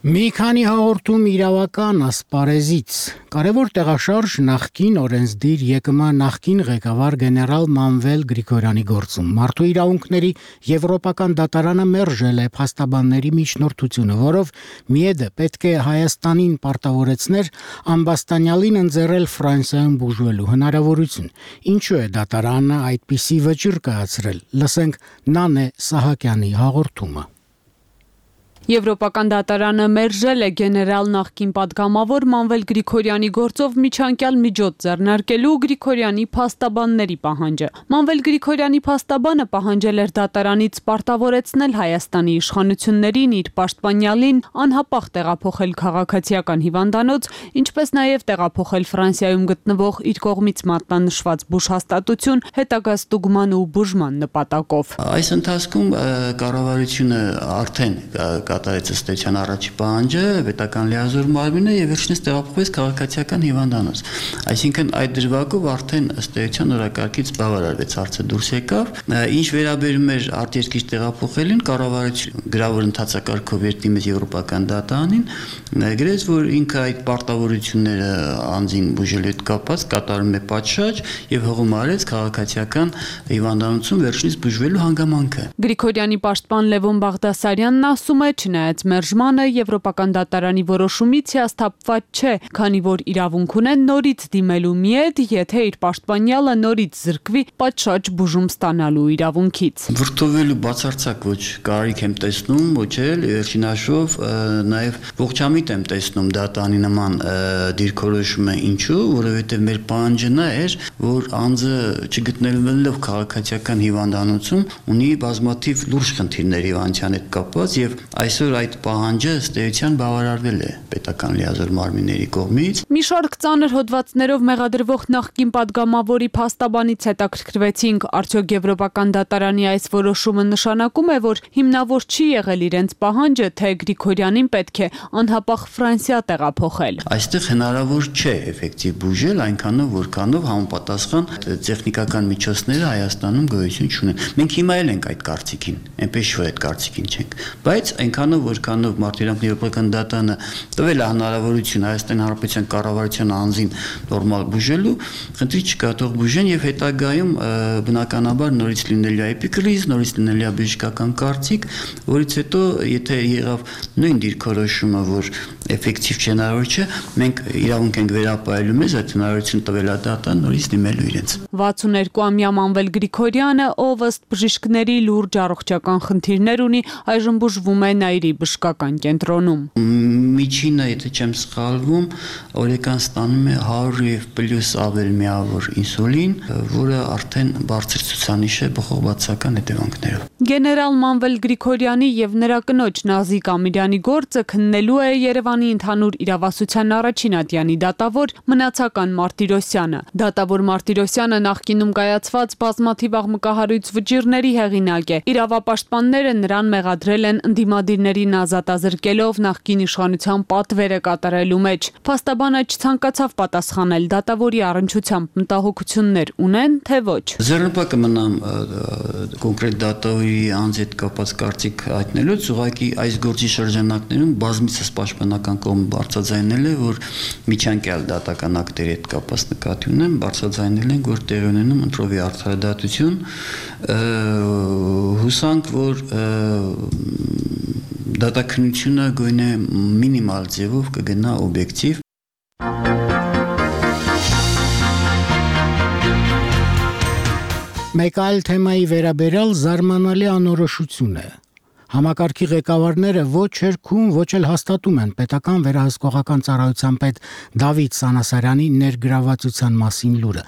Մի քանի հաղորդում իրավական ասպարեզից։ Կարևոր տեղաշարժ նախկին օրենսդիր ԵԿՄ նախկին ղեկավար գեներալ Մանվել Գրիգորյանի գործում։ Մարդու իրավունքների Եվրոպական դատարանը մերժել է փաստաբանների միջնորդությունը, որով ՄԻԵԴ պետք է Հայաստանին պարտավորեցներ ամբաստանյալին ընձեռել Ֆրանսիայում բուժվելու հնարավորություն։ Ինչու է դատարանը այդպիսի վճիռ կայացրել։ Լսենք Նանե Սահակյանի հաղորդումը։ Եվրոպական դատարանը մերժել է գեներալ նախկին պատգամավոր Մանվել Գրիգորյանի գործով միջանկյալ միջոց ձեռնարկելու Գրիգորյանի փաստաբանների պահանջը։ Մանվել Գրիգորյանի փաստաբանը պահանջել էր դատարանից պարտավորեցնել Հայաստանի իշխանություններին իր պաշտպանյալին անհապաղ տեղափոխել քաղաքացիական հիվանդանոց, ինչպես նաև տեղափոխել Ֆրանսիայում գտնվող իր կողմից մատնանշված բուժհաստատություն հետագա ստուգման ու բուժման նպատակով։ Այս ընթացքում կառավարությունը արդեն կատարեց ըստ էության առաջի պահանջը, պետական լիազոր մարմինը եւ վերջինս տեղափոխվեց քաղաքացիական հիվանդանոց։ Այսինքն այդ դրվագով արդեն ըստ էության օրակարգից բավարարվեց, հարցը դուրս եկավ։ Ինչ վերաբերում էր արտերկիր տեղափոխելին, կառավարությունը գրավոր ընդհանցակարգով երթի մեծ եվրոպական դատարանին գրեց, որ ինքը այդ պարտավորությունները անձին բուժելու հետ կապված կատարում է պատշաճ եւ հողում արեց քաղաքացիական հիվանդանոցում վերջինս բուժվելու հանգամանքը։ Գրիգորյանի պաշտպան Լևոն Բաղդասարյանն ասում է, չնայած մերժմանը եվրոպական դատարանի որոշումից հիասթափված չէ, քանի որ իրավունք ունեն նորից դիմելու միետ, եթե իր պաշտպանյալը նորից զրկվի պատշաճ բուժում ստանալու իրավունքից։ Վրդովելու բացարձակ ոչ կարիք եմ տեսնում, ոչ էլ վերջին հաշվով նաեւ ողջամիտ եմ տեսնում դատարանի նման դիրքորոշումը, ինչու, որովհետեւ մեր պահանջը նա էր, որ անձը չգտնելով քաղաքացիական հիվանդանոցում ունի բազմաթիվ լուրջ խնդիրներ հիվանդության հետ կապված եւ այսօր այդ պահանջը ըստ էության բավարարվել է պետական լիազոր մարմինների կողմից։ Մի շարք ծանր հոդվածներով մեղադրվող նախկին падգամավորի փաստաբանից հետաքրքրվեցինք, արդյոք եվրոպական դատարանի այս որոշումը նշանակում է, որ հիմնավոր չի եղել իրենց պահանջը, թե Գրիգորյանին պետք է անհապաղ Ֆրանսիա տեղափոխել։ Այստեղ հնարավոր չէ էֆեկտիվ բուժել այնքանով, որքանով համապատասխան տեխնիկական միջոցները Հայաստանում գոյություն չունեն։ Մենք հիմա էլ ենք այդ կարծիքին, այնպես որ այդ կարծիքին չենք, բայց այնքանով որքանով Մարտիրոսյանի եվրոպական դատարանը տվել է հնարավորություն Հայաստանի Հանրապետության կառավարության անձին նորմալ բուժելու, խնդրի չկա, թող բուժեն եւ հետագայում բնականաբար նորից լինելու է էպիկրիզ, նորից լինելու է բժշկական կարծիք, որից հետո եթե եղավ նույն դիրքորոշումը, որ էֆեկտիվ չէ, հնարավոր չէ, մենք իրավունք ենք վերապահելու մեզ այդ հնարավորությունը տվել է դատարան նորից դիմելու իրենց։ 62-ամյա Մանվել Գրիգորյանը, ով ըստ բժիշկների լուրջ առողջական խնդիրներ ունի, այժմ բուժվում է Նայիրի բժշկական կենտրոնում։ Միջինը, եթե չեմ սխալվում, օրական ստանում է 100 եւ պլյուս ավել միավոր ինսուլին, որը արդեն բարձր ցուցանիշ է բխողբացական հետևանքներով։ Գեներալ Մանվել Գրիգորյանի եւ նրա կնոջ Նազիկ Ամիրյանի գործը քննելու է Երևանի ընդհանուր իրավասության առաջին ատյանի դատավոր Մնացական Մարտիրոսյանը։ Դատավոր Մարտիրոսյանը նախկինում կայացված բազմաթիվ աղմկահարույց վճիռների հեղինակ է։ Իրավապաշտպանները նրան մեղադրել են ընդդիմադիրներին ազատազրկելով նախկին իշխանության պատվերը կատարելու մեջ։ Փաստաբանը չցանկացավ պատասխանել դատավորի առնչությամբ մտահոգություններ ունեն, թե ոչ։ Ձեռնպակը մնամ կոնկրետ դատավորի անձ հետ կապված կարծիք հայտնելուց, ուղղակի այս գործի շրջանակներում բազմիցս պաշտպանական կողմը բարձրաձայնել է, որ միջանկյալ դատական ակտերի հետ կապված նկատի ունեն, բարձրաձայնել են, որ տեղի ունենում ընտրովի արդարադատություն, հուսանք, որ դատաքննությունը գույնը մինիմալ ձևով կգնա օբյեկտիվ։ Մեկ այլ թեմայի վերաբերյալ զարմանալի անորոշություն է։ Համակարգի ղեկավարները ոչ հերքում, ոչ էլ հաստատում են պետական վերահսկողական ծառայության պետ Դավիթ Սանասարյանի ներգրավվածության մասին լուրը։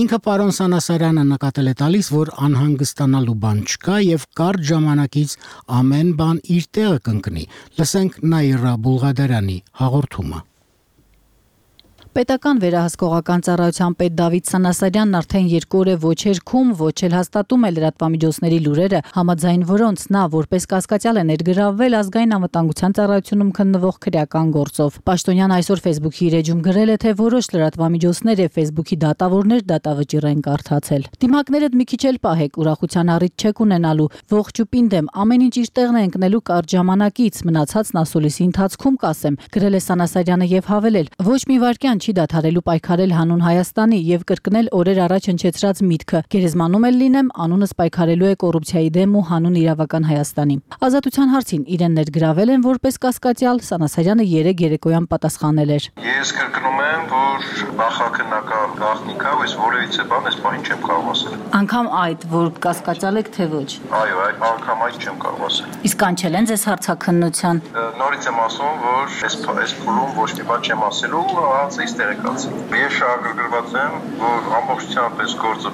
Ինքը պարոն Սանասարյանը նկատել է տալիս, որ անհանգստանալու բան չկա եւ կարճ ժամանակից ամեն բան իր տեղը կընկնի։ Լսենք Նաիրա Բուլղադարյանի հաղորդումը։ Պետական վերահսկողական ծառայության պետ Դավիթ Սանասարյանն արդեն 2 օր է ոչ հերքում, ոչ էլ հաստատում է լրատվամիջոցների լուրերը, համաձայն որոնց նա որպես կասկածյալ է ներգրավվել ազգային անվտանգության ծառայությունում քննվող քրեական գործով։ Պաշտոնյան այսօր Facebook-ի իր էջում գրել է, թե որոշ լրատվամիջոցներ եւ Facebook-ի դատավորներ դատավճիռ են կարդացել։ Դիմակներդ մի քիչ էլ պահեք, ուրախության առիթ չեք ունենալու, ողջ ու պինդ եմ, ամեն ինչ իր տեղն է ընկնելու կարճ ժամանակից, մնացածն ասուլիսի ընթացքում կասեմ, գրել է Սանասարյանը եւ հավելել. ոչ մի վայրկյան չի դադարելու պայքարել հանուն Հայաստանի եւ կրկնել օրեր առաջ հնչեցրած միտքը։ Գերեզմանում էլ լինեմ, անունս պայքարելու է կոռուպցիայի դեմ ու հանուն իրավական Հայաստանի։ Ազատության հարցին իրեն ներգրավել են որպես կասկածյալ, Սանասարյանը 3 երեկոյան պատասխանել էր. Ես կրկնում եմ, որ նախաքննական գաղտնիքա, ես որևիցե բան այս բանին չեմ կարող ասել։ Անկամ այդ, որ կասկածյալ եք, թե ոչ։ Այո, այդ անգամ այդ չեմ կարող ասել։ Իսկ կանչել են ձեզ հարցաքննության։ Նորից եմ ասում, որ այս փուլում ոչ մի բան չեմ ասելու, հանցից նույնիսկ տեղեկացին։ Ես շահագրգռված եմ, որ ամբողջությամբ այս գործը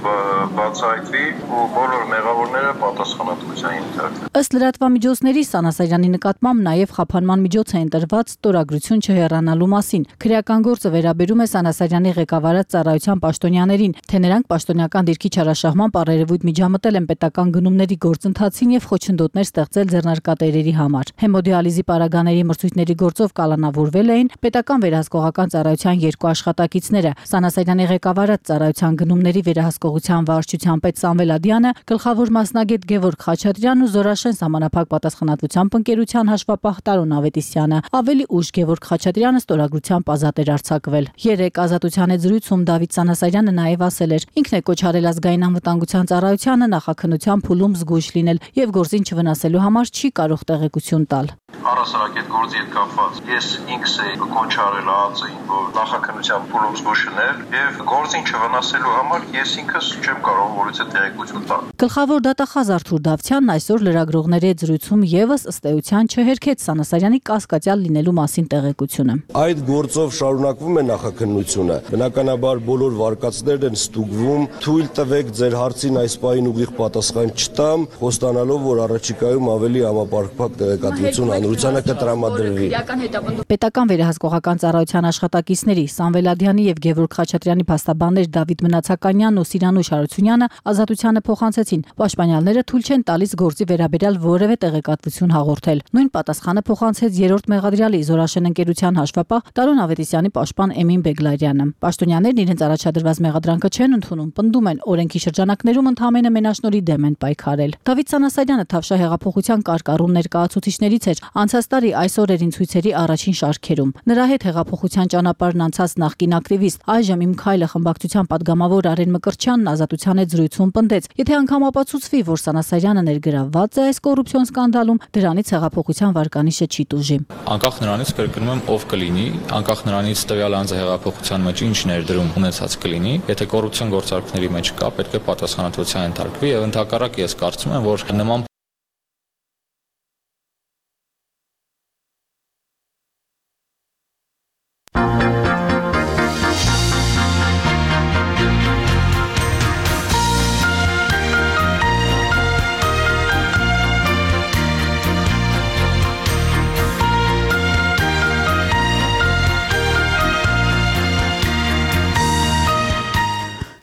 բացահայտվի ու բոլոր մեղավորները պատասխանատվության ենթարկվեն։ Ըստ լրատվամիջոցների Սանասարյանի նկատմամբ նաև խափանման միջոց է ընտրված ստորագրություն չհեռանալու մասին։ Քրեական գործը վերաբերում է Սանասարյանի ղեկավարած ծառայության պաշտոնյաներին, թե նրանք պաշտոնյական դիրքի չարաշահման առերևույթ միջամտել են պետական գնումների գործընթացին եւ խոչընդոտներ ստեղծել ձեռնարկատերերի համար։ Հեմոդիալիզի պարագաների մրցույթների գործով կալանավորվել էին պետական վերահսկողական ծառայության 2 աշխատակիցները։ Սանասարյանի ղեկավարած ծառայության գնումների վերահսկողության վարչության պետ Սամվել Ադյանը, գլխավոր մասնագետ Գևորգ Խաչատրյանն ու Զորաշեն սահմանափակ պատասխանատվությամբ ընկերության հաշվապահ Տարոն Ավետիսյանը։ Ավելի ուշ Գևորգ Խաչատրյանը ստորագրությամբ ազատ էր արձակվել։ 3 ազատության հետ զրույցում Դավիթ Սանասարյանը նաև ասել էր. ինքն է կոչ արել ազգային անվտանգության ծառայությանը նախաքննության փուլում զգույշ լինել եւ գործին չվնասելու համար չի կարող տեղեկություն տալ։ Առհասարակ այդ գործի հետ կապված ես ինքս էի կոչ արել ԱԱԾ-ին, որ նախաքննության փուլում զգույշ լինել եւ գործին չվնասելու համար ես ինքս չեմ կարող որից է տեղեկություն տալ։ Գլխավոր դատախազ Արթուր Դավթյանն այսօր լրագրողների հետ զրույցում եւս ըստ էության չհերքեց Սանասարյանի կասկածյալ լինելու մասին տեղեկությունը։ Այդ գործով շարունակվում է նախաքննությունը։ Բնականաբար բոլոր վարկածներն են ստուգվում։ Թույլ տվեք ձեր հարցին այս պահին ուղիղ պատասխան չտամ, խոստանալով, որ առաջիկայում ավելի համապարփակ տեղեկատվություն հանրությանը կտրամադրվի։ Պետական վերահսկողական ծառայության աշխատակիցների Սամվել Ադյանի եւ Գևորգ Խաչատրյանի փաստաբաններ Դավիթ Մնացականյանն ու Սիրանուշ Հարությունյանը ազատությանը փոխանցեցին։ Պաշտպանյալները թույլ չեն տալիս գործի վերաբերյալ որևէ տեղեկատվություն հաղորդել։ Նույն պատասխանը փոխանցեց 3-րդ մեղադրյալի Զորաշեն ընկերության հաշվապահ Տարոն Ավետիսյանի պաշտպան Էմին Բեգլարյանը։ Պաշտոնյաներն իրենց առաջադրված մեղադրանքը չեն ընդունում, պնդում են օրենքի շրջանակներում ընդհանրապես մենաշնորհի դեմ են պայքարել։ Դավիթ Սանասարյանը Թավշյա հեղափոխության կարկառուն ներկայացուցիչներից էր անցած տարի այս օրերին ցույցերի առաջին շարքերում։ Նրա հետ հեղափոխության ճանապարհն անցած նախկին ակտիվիստ, այժմ Իմ քայլը խմբակցության падգամավոր Արեն Մկրտչյանն ազատության հետ զրույցում պնդեց. եթե անգամ ապացուցվի, որ Սանասարյանը ներգրավված է այս կոռուպցիոն սկանդալում, դրանից հեղափոխության վարկանիշը չի տուժի։ Անկախ նրանից կրկնում եմ ով կլինի, անկախ նրանից տվյալ անձը հեղափոխության մեջ ինչ ներդրում ունեցած կլինի, եթե կոռուպցիոն գործարքների մեջ կա, պետք է պատասխանատվության ենթարկվի եւ ընդհակառակ ես կարծում եմ, որ նման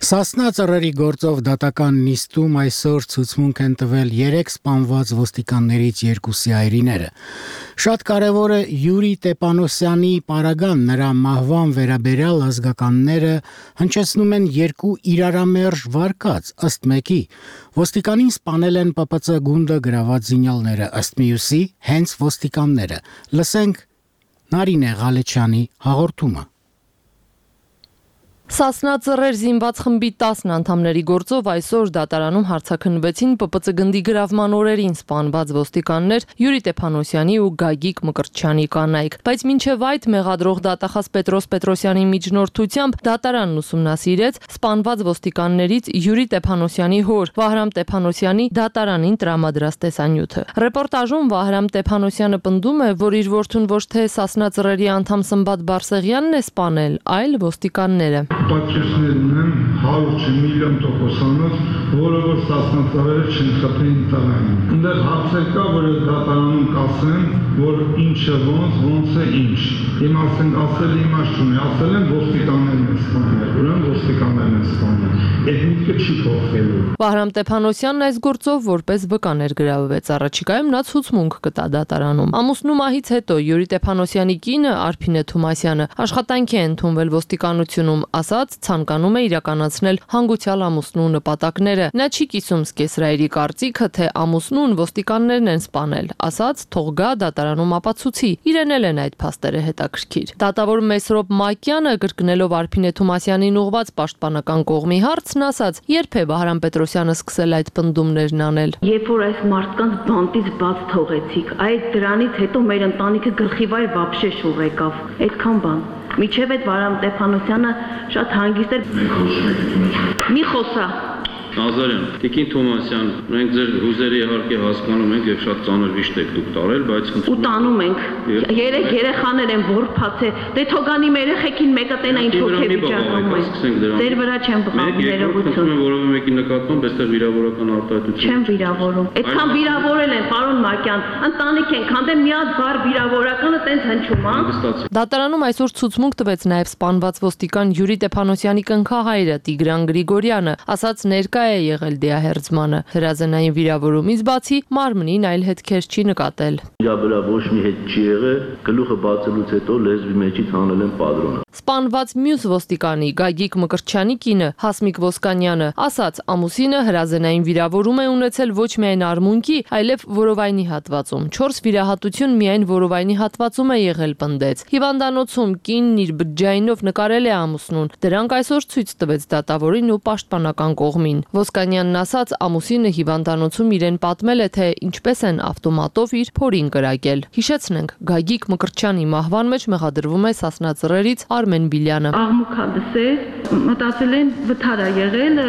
Սասնա ծռերի գործով դատական նիստում այսօր ցուցմունք են տվել 3 սպանված ոստիկաններից 2-ի այրիները։ Շատ կարևոր է Յուրի Տեպանոսյանի պարագան, նրա մահվան վերաբերյալ ազգականները հնչեցնում են 2 իրարամերժ վարկած, ըստ մեկի ոստիկանին սպանել են ՊՊՑ գունդը գրաված զինյալները, ըստ մյուսի հենց ոստիկանները։ Լսենք Նարինե Ղալեչյանի հաղորդումը։ Սասնա ծռեր զինված խմբի 10 անդամների գործով այսօր դատարանում հարցաքննվեցին ՊՊՑ գնդի գրավման օրերին սպանված ոստիկաններ Յուրի Տեփանոսյանի ու Գագիկ Մկրտչյանի կանայք, բայց մինչև այդ մեղադրող դատախազ Պետրոս Պետրոսյանի միջնորդությամբ դատարանն ուսումնասիրեց սպանված ոստիկաններից Յուրի Տեփանոսյանի հոր Վահրամ Տեփանոսյանի դատարանին տրամադրած տեսանյութը։ Ռեպորտաժում Վահրամ Տեփանոսյանը պնդում է, որ իր որդուն ոչ թե Սասնա ծռերի անդամ Սմբատ Բարսեղյանն է սպանել, այլ ոստիկանները։ Պատճառներն ունեմ 100 միլիոն տոկոսանոց, որը որ Սասնա-ծռերը չնխփեն տալային։ Այնտեղ հարցեր կա, որ դատարանում կասեն, որ ինչը ոնց է ինչ։ Իմ ասել իմաստ չունի, ասել են ոստիկաններն են սպանել, ուրեմն ոստիկաններն են սպանել։ Այդ միտքը չի փոխվելու։ Վահրամ Տեփանոսյանն այս գործով որպես վկա ներգրավվեց, առաջիկայում նա ցուցմունք կտա դատարանում։ Ամուսնու մահից հետո Յուրի Տեփանոսյանի կինը Արփինե Թումասյանը աշխատանքի է ընդունվել ոստիկանությունում, ասաց ցանկանում է իրականացնել հանգուցյալ ամուսնու նպատակները։ Նա չի կիսում Սկեսրայերի կարծիքը, թե ամուսնուն ոստիկաններն են սպանել, ասաց թող գա դատարանում ապացուցի։ Իրեն էլ են այդ փաստերը հետաքրքիր։ Դատավոր Մեսրոպ Մակյանը կրկնելով Արփինե Թումասյանին ուղված պաշտպանական կողմի հարցն ասաց. երբ է Վահրամ Պետրոսյանը սկսել այդ պնդումներն անել։ Երբ որ այս մարդկանց բանտից բաց թողեցիք, այդ դրանից հետո մեր ընտանիքը գլխիվայր վաբշե շուռ եկավ։ Այդքան բան։ Միջև այդ Վահրամ Տեփանոսյանը շատ հանգիստ էր։ Մի խոսա։ Նազարյան, Տիկին Թոմասյան, մենք ձեր հուզերը իհարկե հասկանում ենք եւ շատ ծանր վիշտ եք դուք տարել, բայց ու տանում ենք։ Երեք երեխաներ են որփացել։ Դե թողանի մեր երեխեքին մեկը տենա ինչ հոգի վիճակում է։ Ձեր վրա չեմ բղավում ներողություն։ Որովե մեկի նկատմամբ այստեղ վիրավորական արտահայտություն։ Չեմ վիրավորում։ Այդքան վիրավորել են, պարոն Մակյան, ընտանիք են, քանդեմ միած բար վիրավորականը տենց հնչում, հա։ Դատարանում այսօր ցուցմունք տվեց նաև սպանված ոստիկան Յուրի Տեփանոսյանի կնքահայրը Տիգրան Գրիգորյանը, ասաց ներկա է եղել դիահերձմանը։ Հրազենային վիրավորումից բացի մարմնին այլ հետքեր չի նկատել։ Իրա վրա ոչ մի հետ չի եղել, գլուխը բացելուց հետո լեզվի մեջից հանել են պատրոնը։ Սպանված մյուս ոստիկանի Գագիկ Մկրտչյանի կինը Հասմիկ Ոսկանյանը ասաց ամուսինը հրազենային վիրավորում է ունեցել ոչ միայն արմունկի, այլև որովայնի հատվածում։ 4 վիրահատություն միայն որովայնի հատվածում է եղել, պնդեց։ Հիվանդանոցում կինն իր բջջայինով նկարել է ամուսնուն։ Դրանք այսօր ցույց տվեց դատավորին ու պաշտպանական կողմին։ Ոսկանյանն ասաց ամուսինը հիվանդանոցում իրեն պատմել է, թե ինչպես են ավտոմատով իր փորին կրակել։ Հիշեցնենք, Գագիկ Մկրտչյանի մահվան մեջ մեղադրվում է Սասնա Ծռերից Արմեն Բիլյանը։ Աղմուկա լսել, մտածել են վթար է եղել,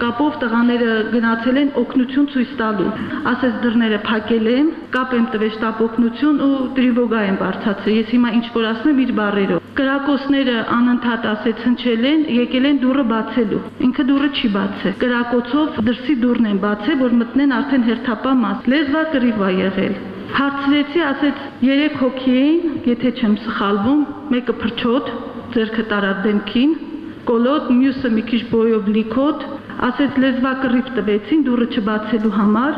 կապով տղաները գնացել են օգնություն ցույց տալու։ Ասես դռները փակել են, կապ եմ տվել շտապ օգնություն ու տրիվոգա են բարձրացրել։ Ես հիմա ինչ որ ասեմ իր բառերով։ Կրակոցները անընդհատ ասեց հնչել են, եկել են դուռը բացելու։ Ինքը դուռը չի բացել։ Կրակոցով դրսի դուռն են բացել, որ մտնեն արդեն հերթապա մաս։ Լեզվա կռիվ է եղել։ Հարցրեցի, ասեց 3 հոգի էին, եթե չեմ սխալվում, մեկը փրչոտ, ձեռքը տարավ դեմքին, կոլոտ, մյուսը մի քիչ բոյով լիքոտ, ասեց լեզվա կռիվ տվեցին դուռը չբացելու համար,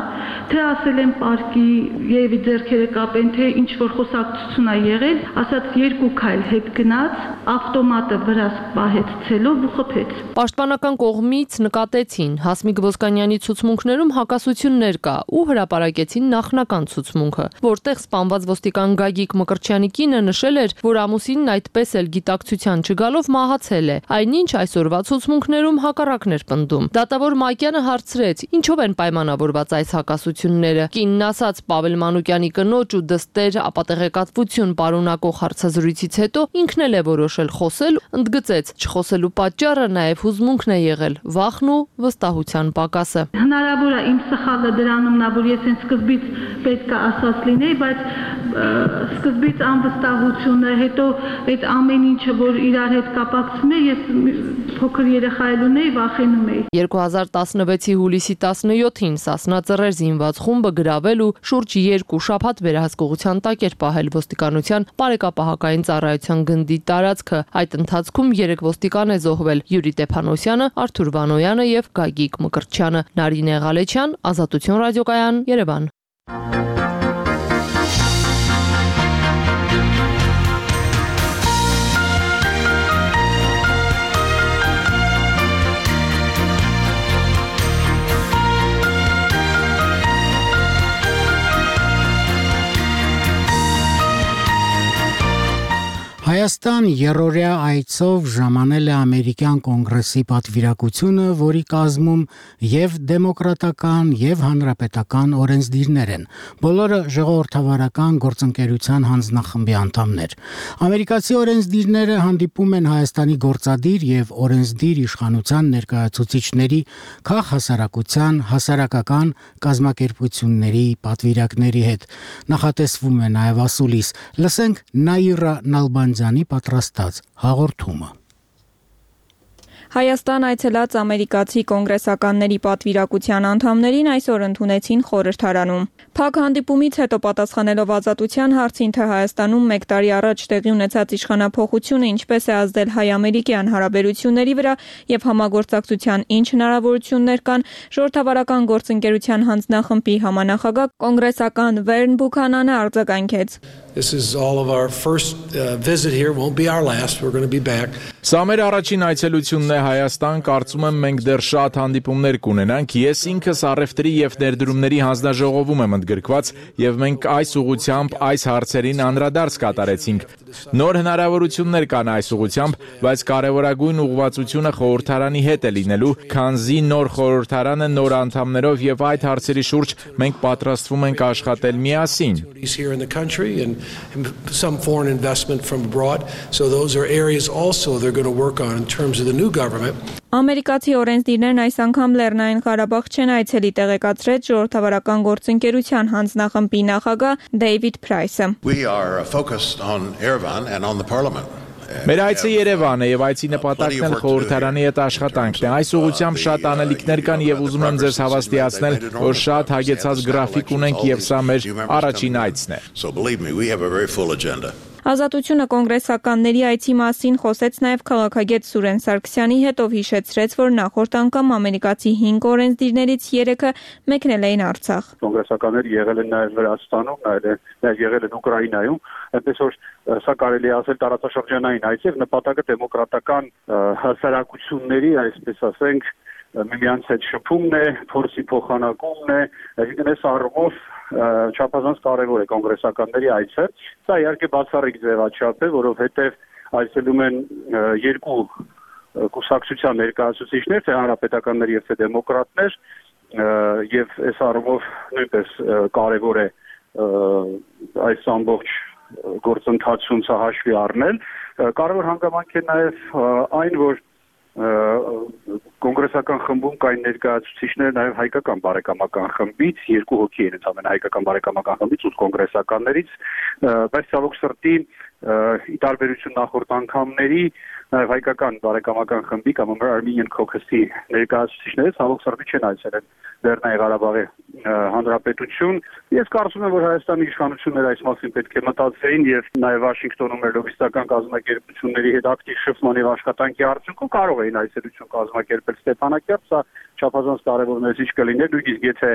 թե ասել են պարկի եւ ձեռքերը կապեն, թե ինչ որ խոսակցություն է եղել, ասաց 2 քայլ հետ գնաց, ավտոմատը վրաս պահեց ցելով ու խփեց։ Պաշտպանական կողմից նկատեցին Հասմիկ Ոսկանյանի ցուցմունքներում հակասություններ կա ու հրապարակեցին նախնական ցուցմունքը, որտեղ սպանված ոստիկան Գագիկ Մկրտչյանի կինը նշել էր, որ ամուսինն այդպես էլ գիտակցության չգալով մահացել է, այնինչ այսօրվա ցուցմունքներում հակառակն էր պնդում։ Դատավոր Մակյանը հարցրեց, ինչով են պայմանավորված այս հակասությունները։ Կինն ասաց Պավել Մանուկյանի կնոջ ու դստեր ապատեղեկատվություն պարունակող հարցազրույցից հետո ինքն էլ է որոշել խոսել, ընդգծեց չխոսելու պատճառը նաև հուզմունքն է եղել, վախն ու վստահության պակասը։ Հնարավոր է իմ սխալը դրանումն է, որ ես այն սկզբից պետք է ասած լինեի, բայց սկզբից անվստահությունը, հետո այդ ամեն ինչը, որ իրար հետ կապակցում է, ես փոքր երեխա ունեի, վախենում էի։ 2016-ի հուլիսի 17-ին Սասնա Ծռեր զինված խումբը գրավել ու շուրջ 2 շաբաթ վերահսկողության տակ էր պահել ոստիկանության բարեկապահական ծառայության գնդի տարածքը։ Այդ ընթացքում 3 ոստիկան է զոհվել՝ Յուրի Տեփանոսյանը, Արթուր Վանոյանը եւ Գագիկ Մկրտչյանը։ Նարինե Ղալեչյան, Ազատություն ռադիոկայան, Երևան։ Հայաստան երրորդյա այցով ժամանել է ամերիկյան կոնգրեսի պատվիրակությունը, որի կազմում եւ դեմոկրատական եւ հանրապետական օրենսդիրներ են։ Բոլորը ժողովրդավարական գործընկերության հանձնախմբի անդամներ։ Ամերիկացի օրենսդիրները հանդիպում են Հայաստանի գործադիր եւ օրենսդիր իշխանության ներկայացուցիչների, քաղաքահասարակության, հասարակական կազմակերպությունների պատվիրակների հետ։ Նախատեսվում է նաեւ ասուլիս։ Լսենք Նաիրա Նալբանդյանի պատրաստած հաղորդումը։ Հայաստան այցելած ամերիկացի կոնգրեսականների պատվիրակության անդամներին այսօր ընդունեցին խորհրդարանում։ Փակ հանդիպումից հետո պատասխանելով Ազատության հարցին, թե Հայաստանում 1 տարի առաջ տեղի ունեցած իշխանափոխությունը ինչպես է ազդել հայ-ամերիկյան հարաբերությունների վրա եւ համագործակցության ինչ հնարավորություններ կան, ժողովրդավարական գործընկերության հանձնախմբի համանախագահ կոնգրեսական Վերն Բուքանանը արձագանքեց. This is all of our first visit here, won't be our last. We're going to be back. Սա մեր առաջին այցելությունն է Հայաստան, կարծում եմ մենք դեռ շատ հանդիպումներ կունենանք։ Ես ինքս առևտրի եւ ներդրումների հանձնաժողովում եմ ընդգրկված եւ մենք այս ուղղությամբ այս հարցերին անդրադարձ կատարեցինք։ Նոր հնարավորություններ կան այս ուղղությամբ, բայց կարևորագույն ուղղվածությունը խորհրդարանի հետ է լինելու, քանզի նոր խորհրդարանը նոր անդամներով եւ այդ հարցերի շուրջ մենք պատրաստվում ենք աշխատել միասին։ Some foreign investment from abroad. So those are areas also they're going to work on in terms of the new government. government. Ամերիկացի օրենսդիրներն այս անգամ Լեռնային Ղարաբաղ չեն այցելի, տեղեկացրեց Ժողովրդավարական գործընկերության հանձնախմբի նախագահ Դեյվիդ Փրայսը։ We are focused on Yerevan and on the parliament. Մեր այցը Երևան է եւ այցի նպատակն էլ խորհրդարանի հետ աշխատանքն է։ Այս ուղղությամբ շատ անելիքներ կան եւ ուզում եմ ձեզ հավաստիացնել, որ շատ հագեցած գրաֆիկ ունենք եւ սա մեր առաջին այցն է։ So believe me, we have a very full agenda. Ազատությունը կոնգրեսականների այցի մասին խոսեց նաև քաղաքագետ Սուրեն Սարգսյանի հետ, ով հիշեցրեց, որ նախորդ անգամ ամերիկացի 5 օրենսդիրներից 3-ը մեկնել էին Արցախ։ Կոնգրեսականները եղել են նաև Վրաստանում, նաև եղել են Ուկրաինայում, այնպես որ սա կարելի ասել տարածաշրջանային այց է, նպատակը դեմոկրատական հասարակությունների, այսպես ասենք, միմյանց հետ շփումն է, փորձի փոխանակումն է, այսինքն այս առումով չափազանց կարևոր է կոնգրեսականների այցը։ Սա իհարկե բացառիկ ձևաչափ է, որովհետև այցելում են երկու կուսակցության ներկայացուցիչներ, թե հանրապետականներ եւ թե դեմոկրատներ, եւ այս առումով նույնպես կարևոր է այս ամբողջ գործընթացում սա հաշվի առնել։ Կարևոր հանգամանք է նաեւ այն, որ կոնգրեսական խմբում կային ներկայացուցիչներ նաև հայկական բարեկամական խմբից, 2 հոգի են ընդհանրապես հայկական բարեկամական խմբից ու կոնգրեսականներից, բայց ցավոք սրտի ի տարբերություն նախորդ անգամների նաև հայկական բարեկամական խմբի կամ Armenian Caucus-ի ներկայացուցիչները ցավոք սրտի չեն այցելել Լեռնային Ղարաբաղի հանրապետություն։ Ես կարծում եմ, որ Հայաստանի իշխանությունները այս մասին պետք է մտածեին եւ նաև Վաշինգտոնում մեր լոբիստական կազմակերպությունների հետ ակտիվ շփման եւ աշխատանքի արդյունքում կարող էին այցելություն կազմակերպել Ստեփանակերտ, սա չափազանց կարևոր մեսիջ կլիներ, նույնիսկ եթե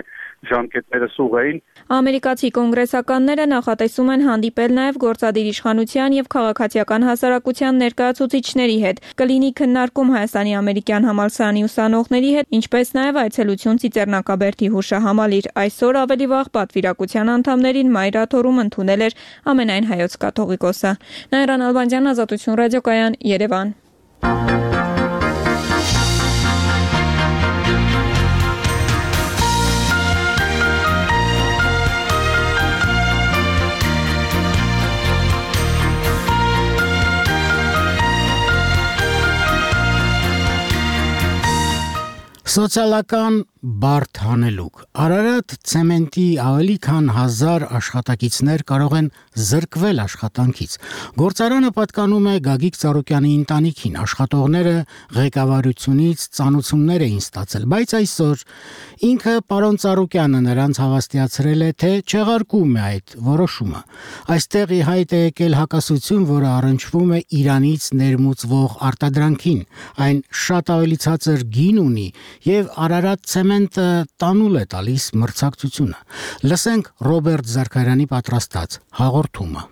ժամկետները սուղ էին։ Ամերիկացի կոնգրեսականները նախատեսում են հանդիպել նաև գործադիր իշխանության եւ քաղաքացիական հասարակության ներկայացուցիչների հետ։ Կլինի քննարկում Հայաստանի ամերիկյան համալսարանի ուսանողների հետ, ինչպես նաև այցելություն Ծիծեռնակաբերդի հուշահամալիր։ Այսօր ավելի վաղ պատվիրակության անդամներին մայրաթորում ընդունել էր ամենայն հայոց կաթողիկոսը։ Նայրան Ալբանդյան, Ազատություն ռադիոկայան, Երևան։ Սոցիալական բարդ հանելուկ։ Արարատ ցեմենտի ավելի քան 1000 աշխատակիցներ կարող են զրկվել աշխատանքից։ Գործարանը պատկանում է Գագիկ Ծառուկյանի ընտանիքին։ Աշխատողները ղեկավարությունից ծանուցումներ էին ստացել, բայց այսօր ինքը պարոն Ծառուկյանը նրանց հավաստիացրել է, թե չեղարկում է այդ որոշումը։ Այստեղ ի հայտ է եկել հակասություն, որը առնչվում է Իրանից ներմուծվող արտադրանքին։ Այն շատ ավելի ցածր գին ունի եւ Արարատ ցեմենտը տանուլ է տալիս մրցակցությունը։ Լսենք Ռոբերտ Զարքարյանի պատրաստած հաղորդումը։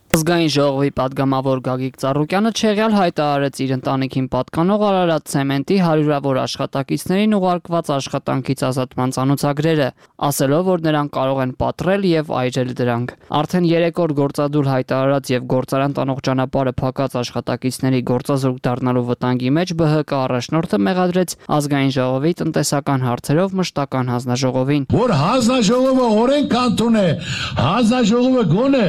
Ազգային ժողովի падգամավոր Գագիկ Ծառուկյանը չեղյալ հայտարարեց իր ընտանիքին պատկանող Արարատ ցեմենտի հարյուրավոր աշխատակիցներին ուղարկված աշխատանքից ազատման ցանոթագրերը, ասելով, որ նրանք կարող են պատռել եւ այրել դրանք։ Արդեն 3 օր գործադուլ հայտարարած եւ գործարան տանող ճանապարհը փակած աշխատակիցների գործազուրկ դառնալու վտանգի մեջ ԲՀԿ առաջնորդը մեղադրեց Ազգային ժողովի տնտեսական հարցերով մշտական հանձնաժողովին, որ հանձնաժողովը օրենք կանտոն է, հանձնաժողովը գոնե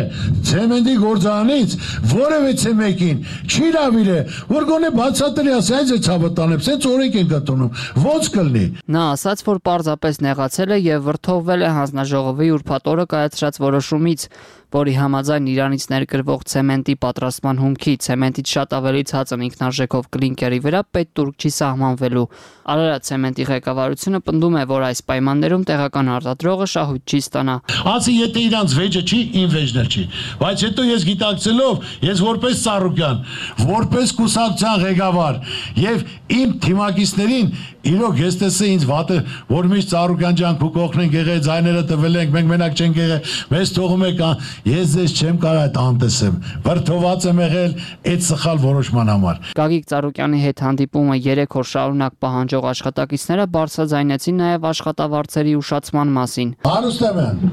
ցեմենտի գործարանից որևէ մեկին չի լավիլ է, որ գոնե բացատրի ասի, այս է ցավը տանեմ, սենց օրենք են գտնում, ոնց կլինի։ Նա ասաց, որ պարզապես նեղացել է եւ վրդովվել է հանձնաժողովի ուրբաթ օրը կայացրած որոշումից, որի համաձայն Իրանից ներկրվող ցեմենտի պատրաստման հումքի ցեմենտից շատ ավելի ցածր ինքնարժեքով կլինկերի վրա պետ-տուրք չի սահմանվելու։ Արարատ ցեմենտի ղեկավարությունը պնդում է, որ այս պայմաններում տեղական արտադրողը շահույթ չի ստանա։ Ասի եթե իրանց վեճը չի, ին վեճն չի։ Բայց հետո ես գիտակցելով, ես որպես Ծառուկյան, որպես կուսակցության ղեկավար եւ իմ թիմակիցներին իրոք ես տեսա ինձ վատը, որ միշտ Ծառուկյան ջան քու կողքնենք եղել, ձայները տվել ենք, մենք մենակ չենք եղել, մեզ թողում եք, ես ձեզ չեմ կարող այդ անտեսեմ։ Վրդոված եմ եղել այդ սխալ որոշման համար։ Գագիկ Ծառուկյանի հետ հանդիպումը 3 օր շարունակ պահանջող աշխատակիցները բարձրաձայնեցին նաև աշխատավարձերի ուշացման մասին։ Հարուստ եմ,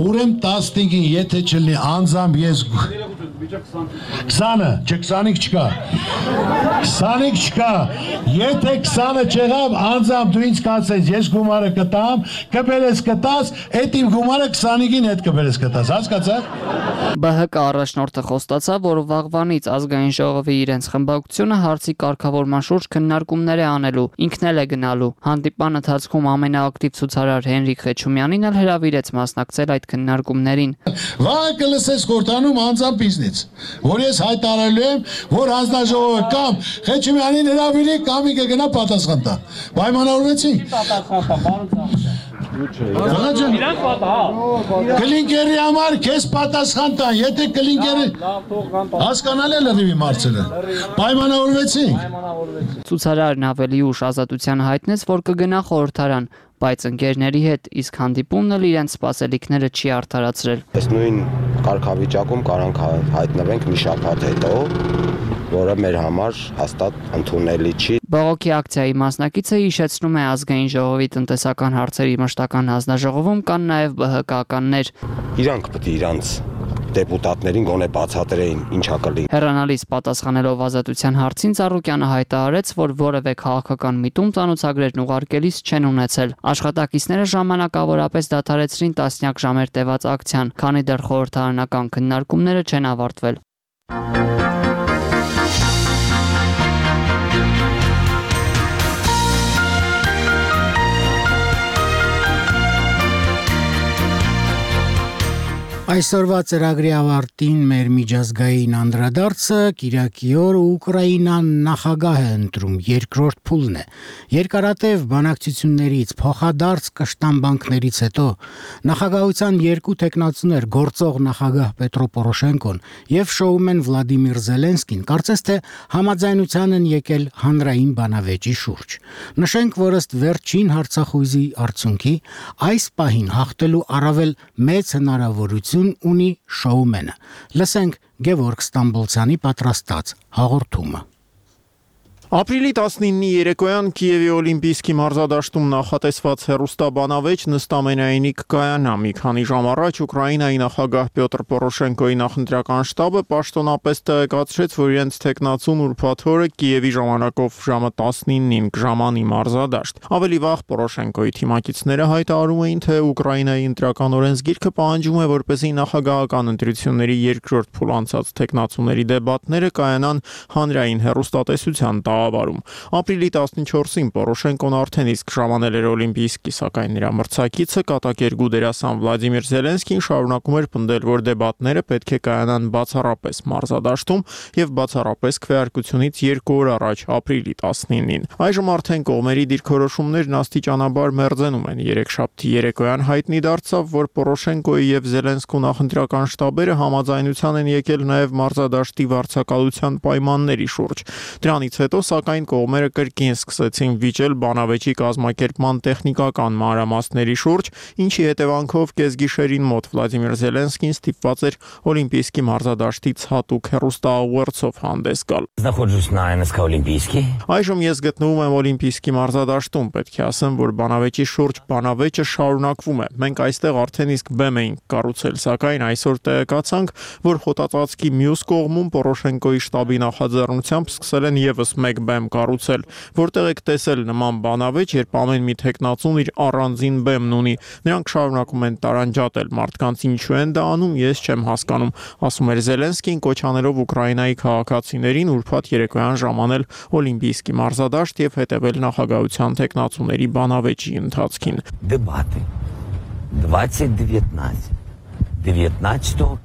Ուրեմն 15-ին եթե չլինի անձամբ ես 20-ը, չէ 25 չկա։ 25 չկա։ Եթե 20-ը չեղավ, անձամբ դու ինձ կասես, ես գումարը կտամ, կբերես կտաս, այդ իմ գումարը 25-ին հետ կբերես կտաս, հասկացաք։ ԲՀԿ առաջնորդը խոստացավ, որ վաղվանից ազգային ժողովի իրենց խմբակցությունը հարցի կարգավորման շուրջ քննարկումներ է անելու, ինքն էլ է գնալու։ Հանդիպան ընթացքում ամենաակտիվ ցուցարար Հենրիկ Խեչումյանին էլ հրավիրեց մասնակցել այդ քննարկումներին։ Վաղը կլսես խորհրդանում անձամբ ինձնից, որ ես հայտարարելու եմ, որ հանձնաժողովը կամ Խեչումյանին հրավիրի կամ կգնա պատասխան տա։ Պայմանավորվեցինք։ Կլինկերի համար քեզ պատասխան տան, եթե կլինկերը հասկանալ է լրիվի մարցերը։ Պայմանավորվեցինք։ Ցուցարարն ավելի ուշ Ազատության հայտնեց, որ կգնա խորհրդարան, բայց ընկերների հետ իսկ հանդիպումն էլ իրենց սպասելիքները չի արդարացրել։ Այս նույն կարգավիճակում կարանք հայտնվենք մի շաբաթ հետո, որը մեր համար հաստատ ընդունելի չի։ Բողոքի ակցիայի մասնակիցը հիշեցնում է ազգային ժողովի տնտեսական հարցերի մշտական հանձնաժողովում կան նաև ԲՀԿ-ականներ։ Իրանք պետք է իրանց դեպուտատներին գոնե բացատրեին ինչա կլինի։ Հեռանալից պատասխանելով Ազատության հարցին Ծառուկյանը հայտարարեց, որ որևէ քաղաքական միտում ծանոթագրերն ուղարկելիս չեն ունեցել։ Աշխատակիցները ժամանակավորապես դադարեցրին տասնյակ ժամեր տևած ակցիան, քանի դեռ խորհրդարանական քննարկումները չեն ավարտվել։ Այսօրվա ծրագրի ավարտին մեր միջազգային անդրադարձը Կիրակի օրը Ուկրաինան նախագահ է ընտրում, երկրորդ փուլն է։ Երկարատև բանակցություններից, փոխադարձ կշտամբանքներից հետո նախագահության երկու տեխնացուներ գործող նախագահ Պետրո Պորոշենկոն եւ շոումեն Վլադիմիր Զելենսկին կարծես թե համաձայնության են եկել հանրային բանավեճի շուրջ։ Նշենք, որ ըստ վերջին հարցախույզի արդյունքի այս պահին հաղթելու առավել մեծ հնարավորություն ունի շոումենը։ Լսենք Գևորգ Ստամբոլցյանի պատրաստած հաղորդումը։ Ապրիլի 19-ի երեկոյան Կիևի Օլիմպիական մարզադաշտում նախատեսված հեռուստաբանավեճ նստամենայինի կկայանա։ Մի քանի ժամ առաջ Ուկրաինայի նախագահ Պյոտր Պորոշենկոյի նախընտրական շտաբը պաշտոնապես տեղեկացրեց, որ իրենց տեխնացուն ուրբաթ օրը Կիևի ժամանակով ժամը 19-ին կժամանի մարզադաշտ։ Ավելի վաղ Պորոշենկոյի թիմակիցները հայտարարում էին, թե Ուկրաինայի ընտրական օրենսգիրքը պահանջում է, որպեսզի նախագահական ընտրությունների երկրորդ փուլ անցած տեխնացուների դեբատները կայանան հանրային հեռուստատեսության Ապրիլի 14-ին Պորոշենկոն արդեն իսկ ժամանել էր Օլիմպիական, սակայն նրա մրցակիցը կատակերգու դերասան Վլադիմիր Զելենսկին շարունակում էր պնդել, որ դեբատները պետք է կայանան բացառապես մարզադաշտում եւ բացառապես քվեարկությունից 2 օր առաջ, ապրիլի 19-ին։ Այժմ արդեն կողմերի դիրքորոշումներն աստիճանաբար մերձենում են։ Երեքշաբթի երեկոյան հայտնի դարձավ, որ Պորոշենկոյի եւ Զելենսկու նախընտրական շտաբերը համաձայնության են եկել նաեւ մարզադաշտի վարձակալության պայմանների շուրջ։ Դրանից հետո սակայն կողմերը կրկին սկսեցին վիճել բանավեճի կազմակերպման տեխնիկական մանրամասների շուրջ, ինչի հետևանքով կեսգիշերին մոտ Վլադիմիր Զելենսկին ստիպված էր Օլիմպիական մարզադաշտից հատուկ հեռուստաուղերձով հանդես գալ։ Այժմ ես գտնվում եմ Օլիմպիական մարզադաշտում, պետք է ասեմ, որ բանավեճի շուրջ բանավեճը շարունակվում է։ Մենք այստեղ արդեն իսկ բեմ էինք կառուցել, սակայն այսօր տեղեկացանք, որ խոտածածկի մյուս կողմում Պորոշենկոյի շտաբի նախաձեռնությամբ սկսել են եւս մեկ բեմ կառուցել, որտեղ եք տեսել նման բանավեճ, երբ ամեն մի տեխնացուն իր առանձին բեմն ունի։ Նրանք շարունակում են տարանջատել մարդկանց, ինչու են դա անում, ես չեմ հասկանում, ասում էր Զելենսկին, կոչ անելով Ուկրաինայի քաղաքացիներին ուրբաթ երեկոյան ժամանել Օլիմպիական մարզադաշտ եւ հետեւել նախագահության տեխնացուների բանավեճի ընթացքին։ Дебаты 19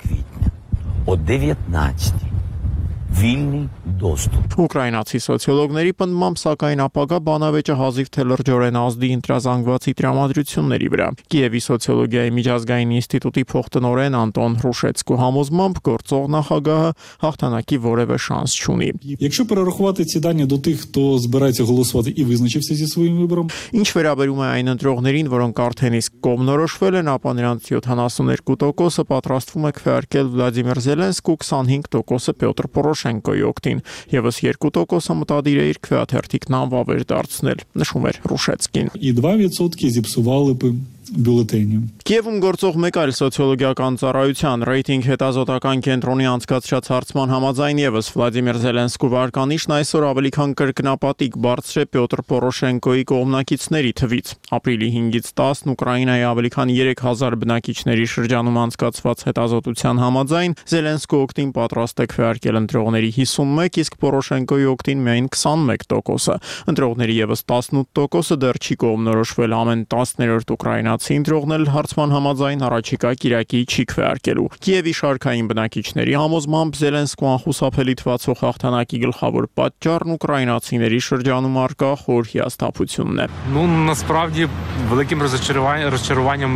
квітня о 19 Вільний доступ։ Ուկրաինացի սոցիոլոգների պնդմամբ սակայն ապագա բանավեճը հազիվ թե լրջորեն ազդի ընտրազանգվածի տրամադրությունների վրա։ Կիևի սոցիոլոգիայի միջազգային ինստիտուտի փոխտնօրեն Անտոն Հրուշեցկու համոզմամբ գործող նախագահը հաղթանակի որևէ շանս չունի։ Якщо перерахувати ці дані до тих, хто збирається голосувати і визначився зі своїм вибором, Ինչ վերաբերում է այն ընտրողներին, որոնք արդեն իսկ կողմնորոշվել են, ապա նրանց 72%-ը պատրաստվում է քվեարկել Վլադիմիր Զելենսկու, 25%-ը Պյոտր Պորոշենկոյի օգտին, եւս 2%-ը մտադիր է իր քվեաթերթիկն անվավեր դարձնել, նշում էր Հրուշեցկին։ і 2% зіпсували б бюллетенью. Կիևում գործող մեկ այլ սոցիոլոգիական ծառայության ռեյտինգ հետազոտական կենտրոնի անցկացրած հարցման համաձայն եւս Վլադիմիր Զելենսկու վարկանիշն այսօր ավելի քան կրկնապատիկ բարձր է Պյոտր Պորոշենկոյի կողմնակիցների թվից։ Ապրիլի 5-ից 10 Ուկրաինայի ավելի քան 3000 բնակիչների շրջանում անցկացված հետազոտության համաձայն Զելենսկու օգտին պատրաստ է քվեարկել ընտրողների 51, իսկ Պորոշենկոյի օգտին միայն 21%։ Ընտրողների եւս 18%-ը դեռ չի կողմնորոշվել ամեն 10-րդ ուկրաինացի ընտրողն էլ հարցման համաձայն առաջիկա կիրակի չի քվեարկելու։ Կիևի շարքային բնակիչների համոզմամբ Զելենսկու անխուսափելի թվացող հաղթանակի գլխավոր պատճառն ուկրաինացիների շրջանում առկա խոր հիասթափությունն է։ Насправді великим розчаруванням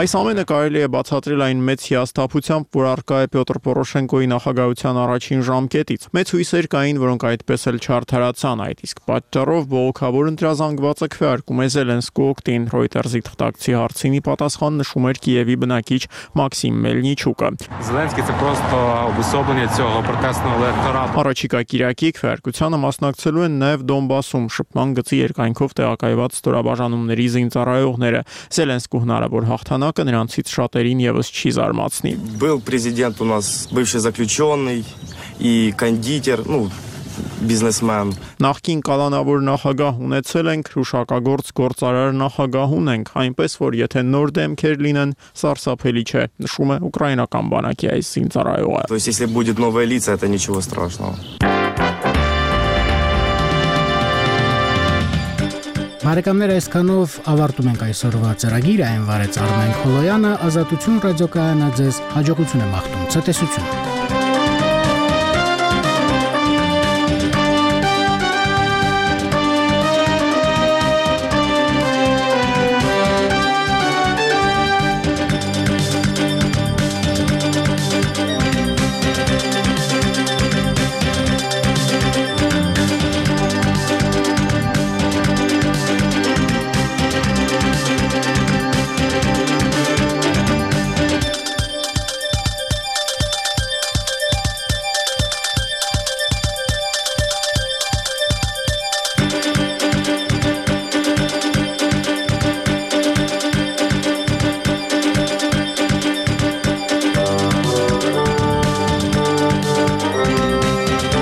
Այս ամենը կարելի է բացատրել այն մեծ հիասթափությամբ, որ առկա է Պյոտր Պորոշենկոյի նախագահության առաջին ժամկետից։ Մեծ հույսեր կային, որոնք այդպես էլ չարդարացան, այդ իսկ պատճառով բողոքավոր ընտրազանգվածը քվեարկում է Զելենսկու օգտին։ Reuters-ի թղթակցի հարցինի պատասխան նշում էր Կիևի բնակիչ Մաքսիմ Մելնիչուկը։ Зеленський це просто обособлення цього протестного електорату։ Առաջիկա կիրակի քվեարկությանը մասնակցելու են նաև Դոնբասում շփման գծի երկայնքով տեղակայված ստորաբաժանումների զինծառայողները։ Զելենսկու հնարավոր հաղթանակը նրանցից շատերին եւս չի զարմացնի։ Был президент у нас бывший заключенный и кондитер, բիզնեսմեն։ Նախկին կալանավոր նախագահ ունեցել ենք, հուշակագործ գործարար նախագահ ունենք, այնպես որ եթե նոր դեմքեր լինեն, սարսափելի չէ, նշում է ուկրաինական բանակի այս զինծառայողը։ То есть если будет новое лицо, это ничего страшного։ Բարեկամներ, այսքանով ավարտում ենք այսօրվա ծրագիրը, այն վարեց Արմեն Խոլոյանը, Ազատություն ռադիոկայանը ձեզ հաջողություն եմ աղթում, ցտեսություն։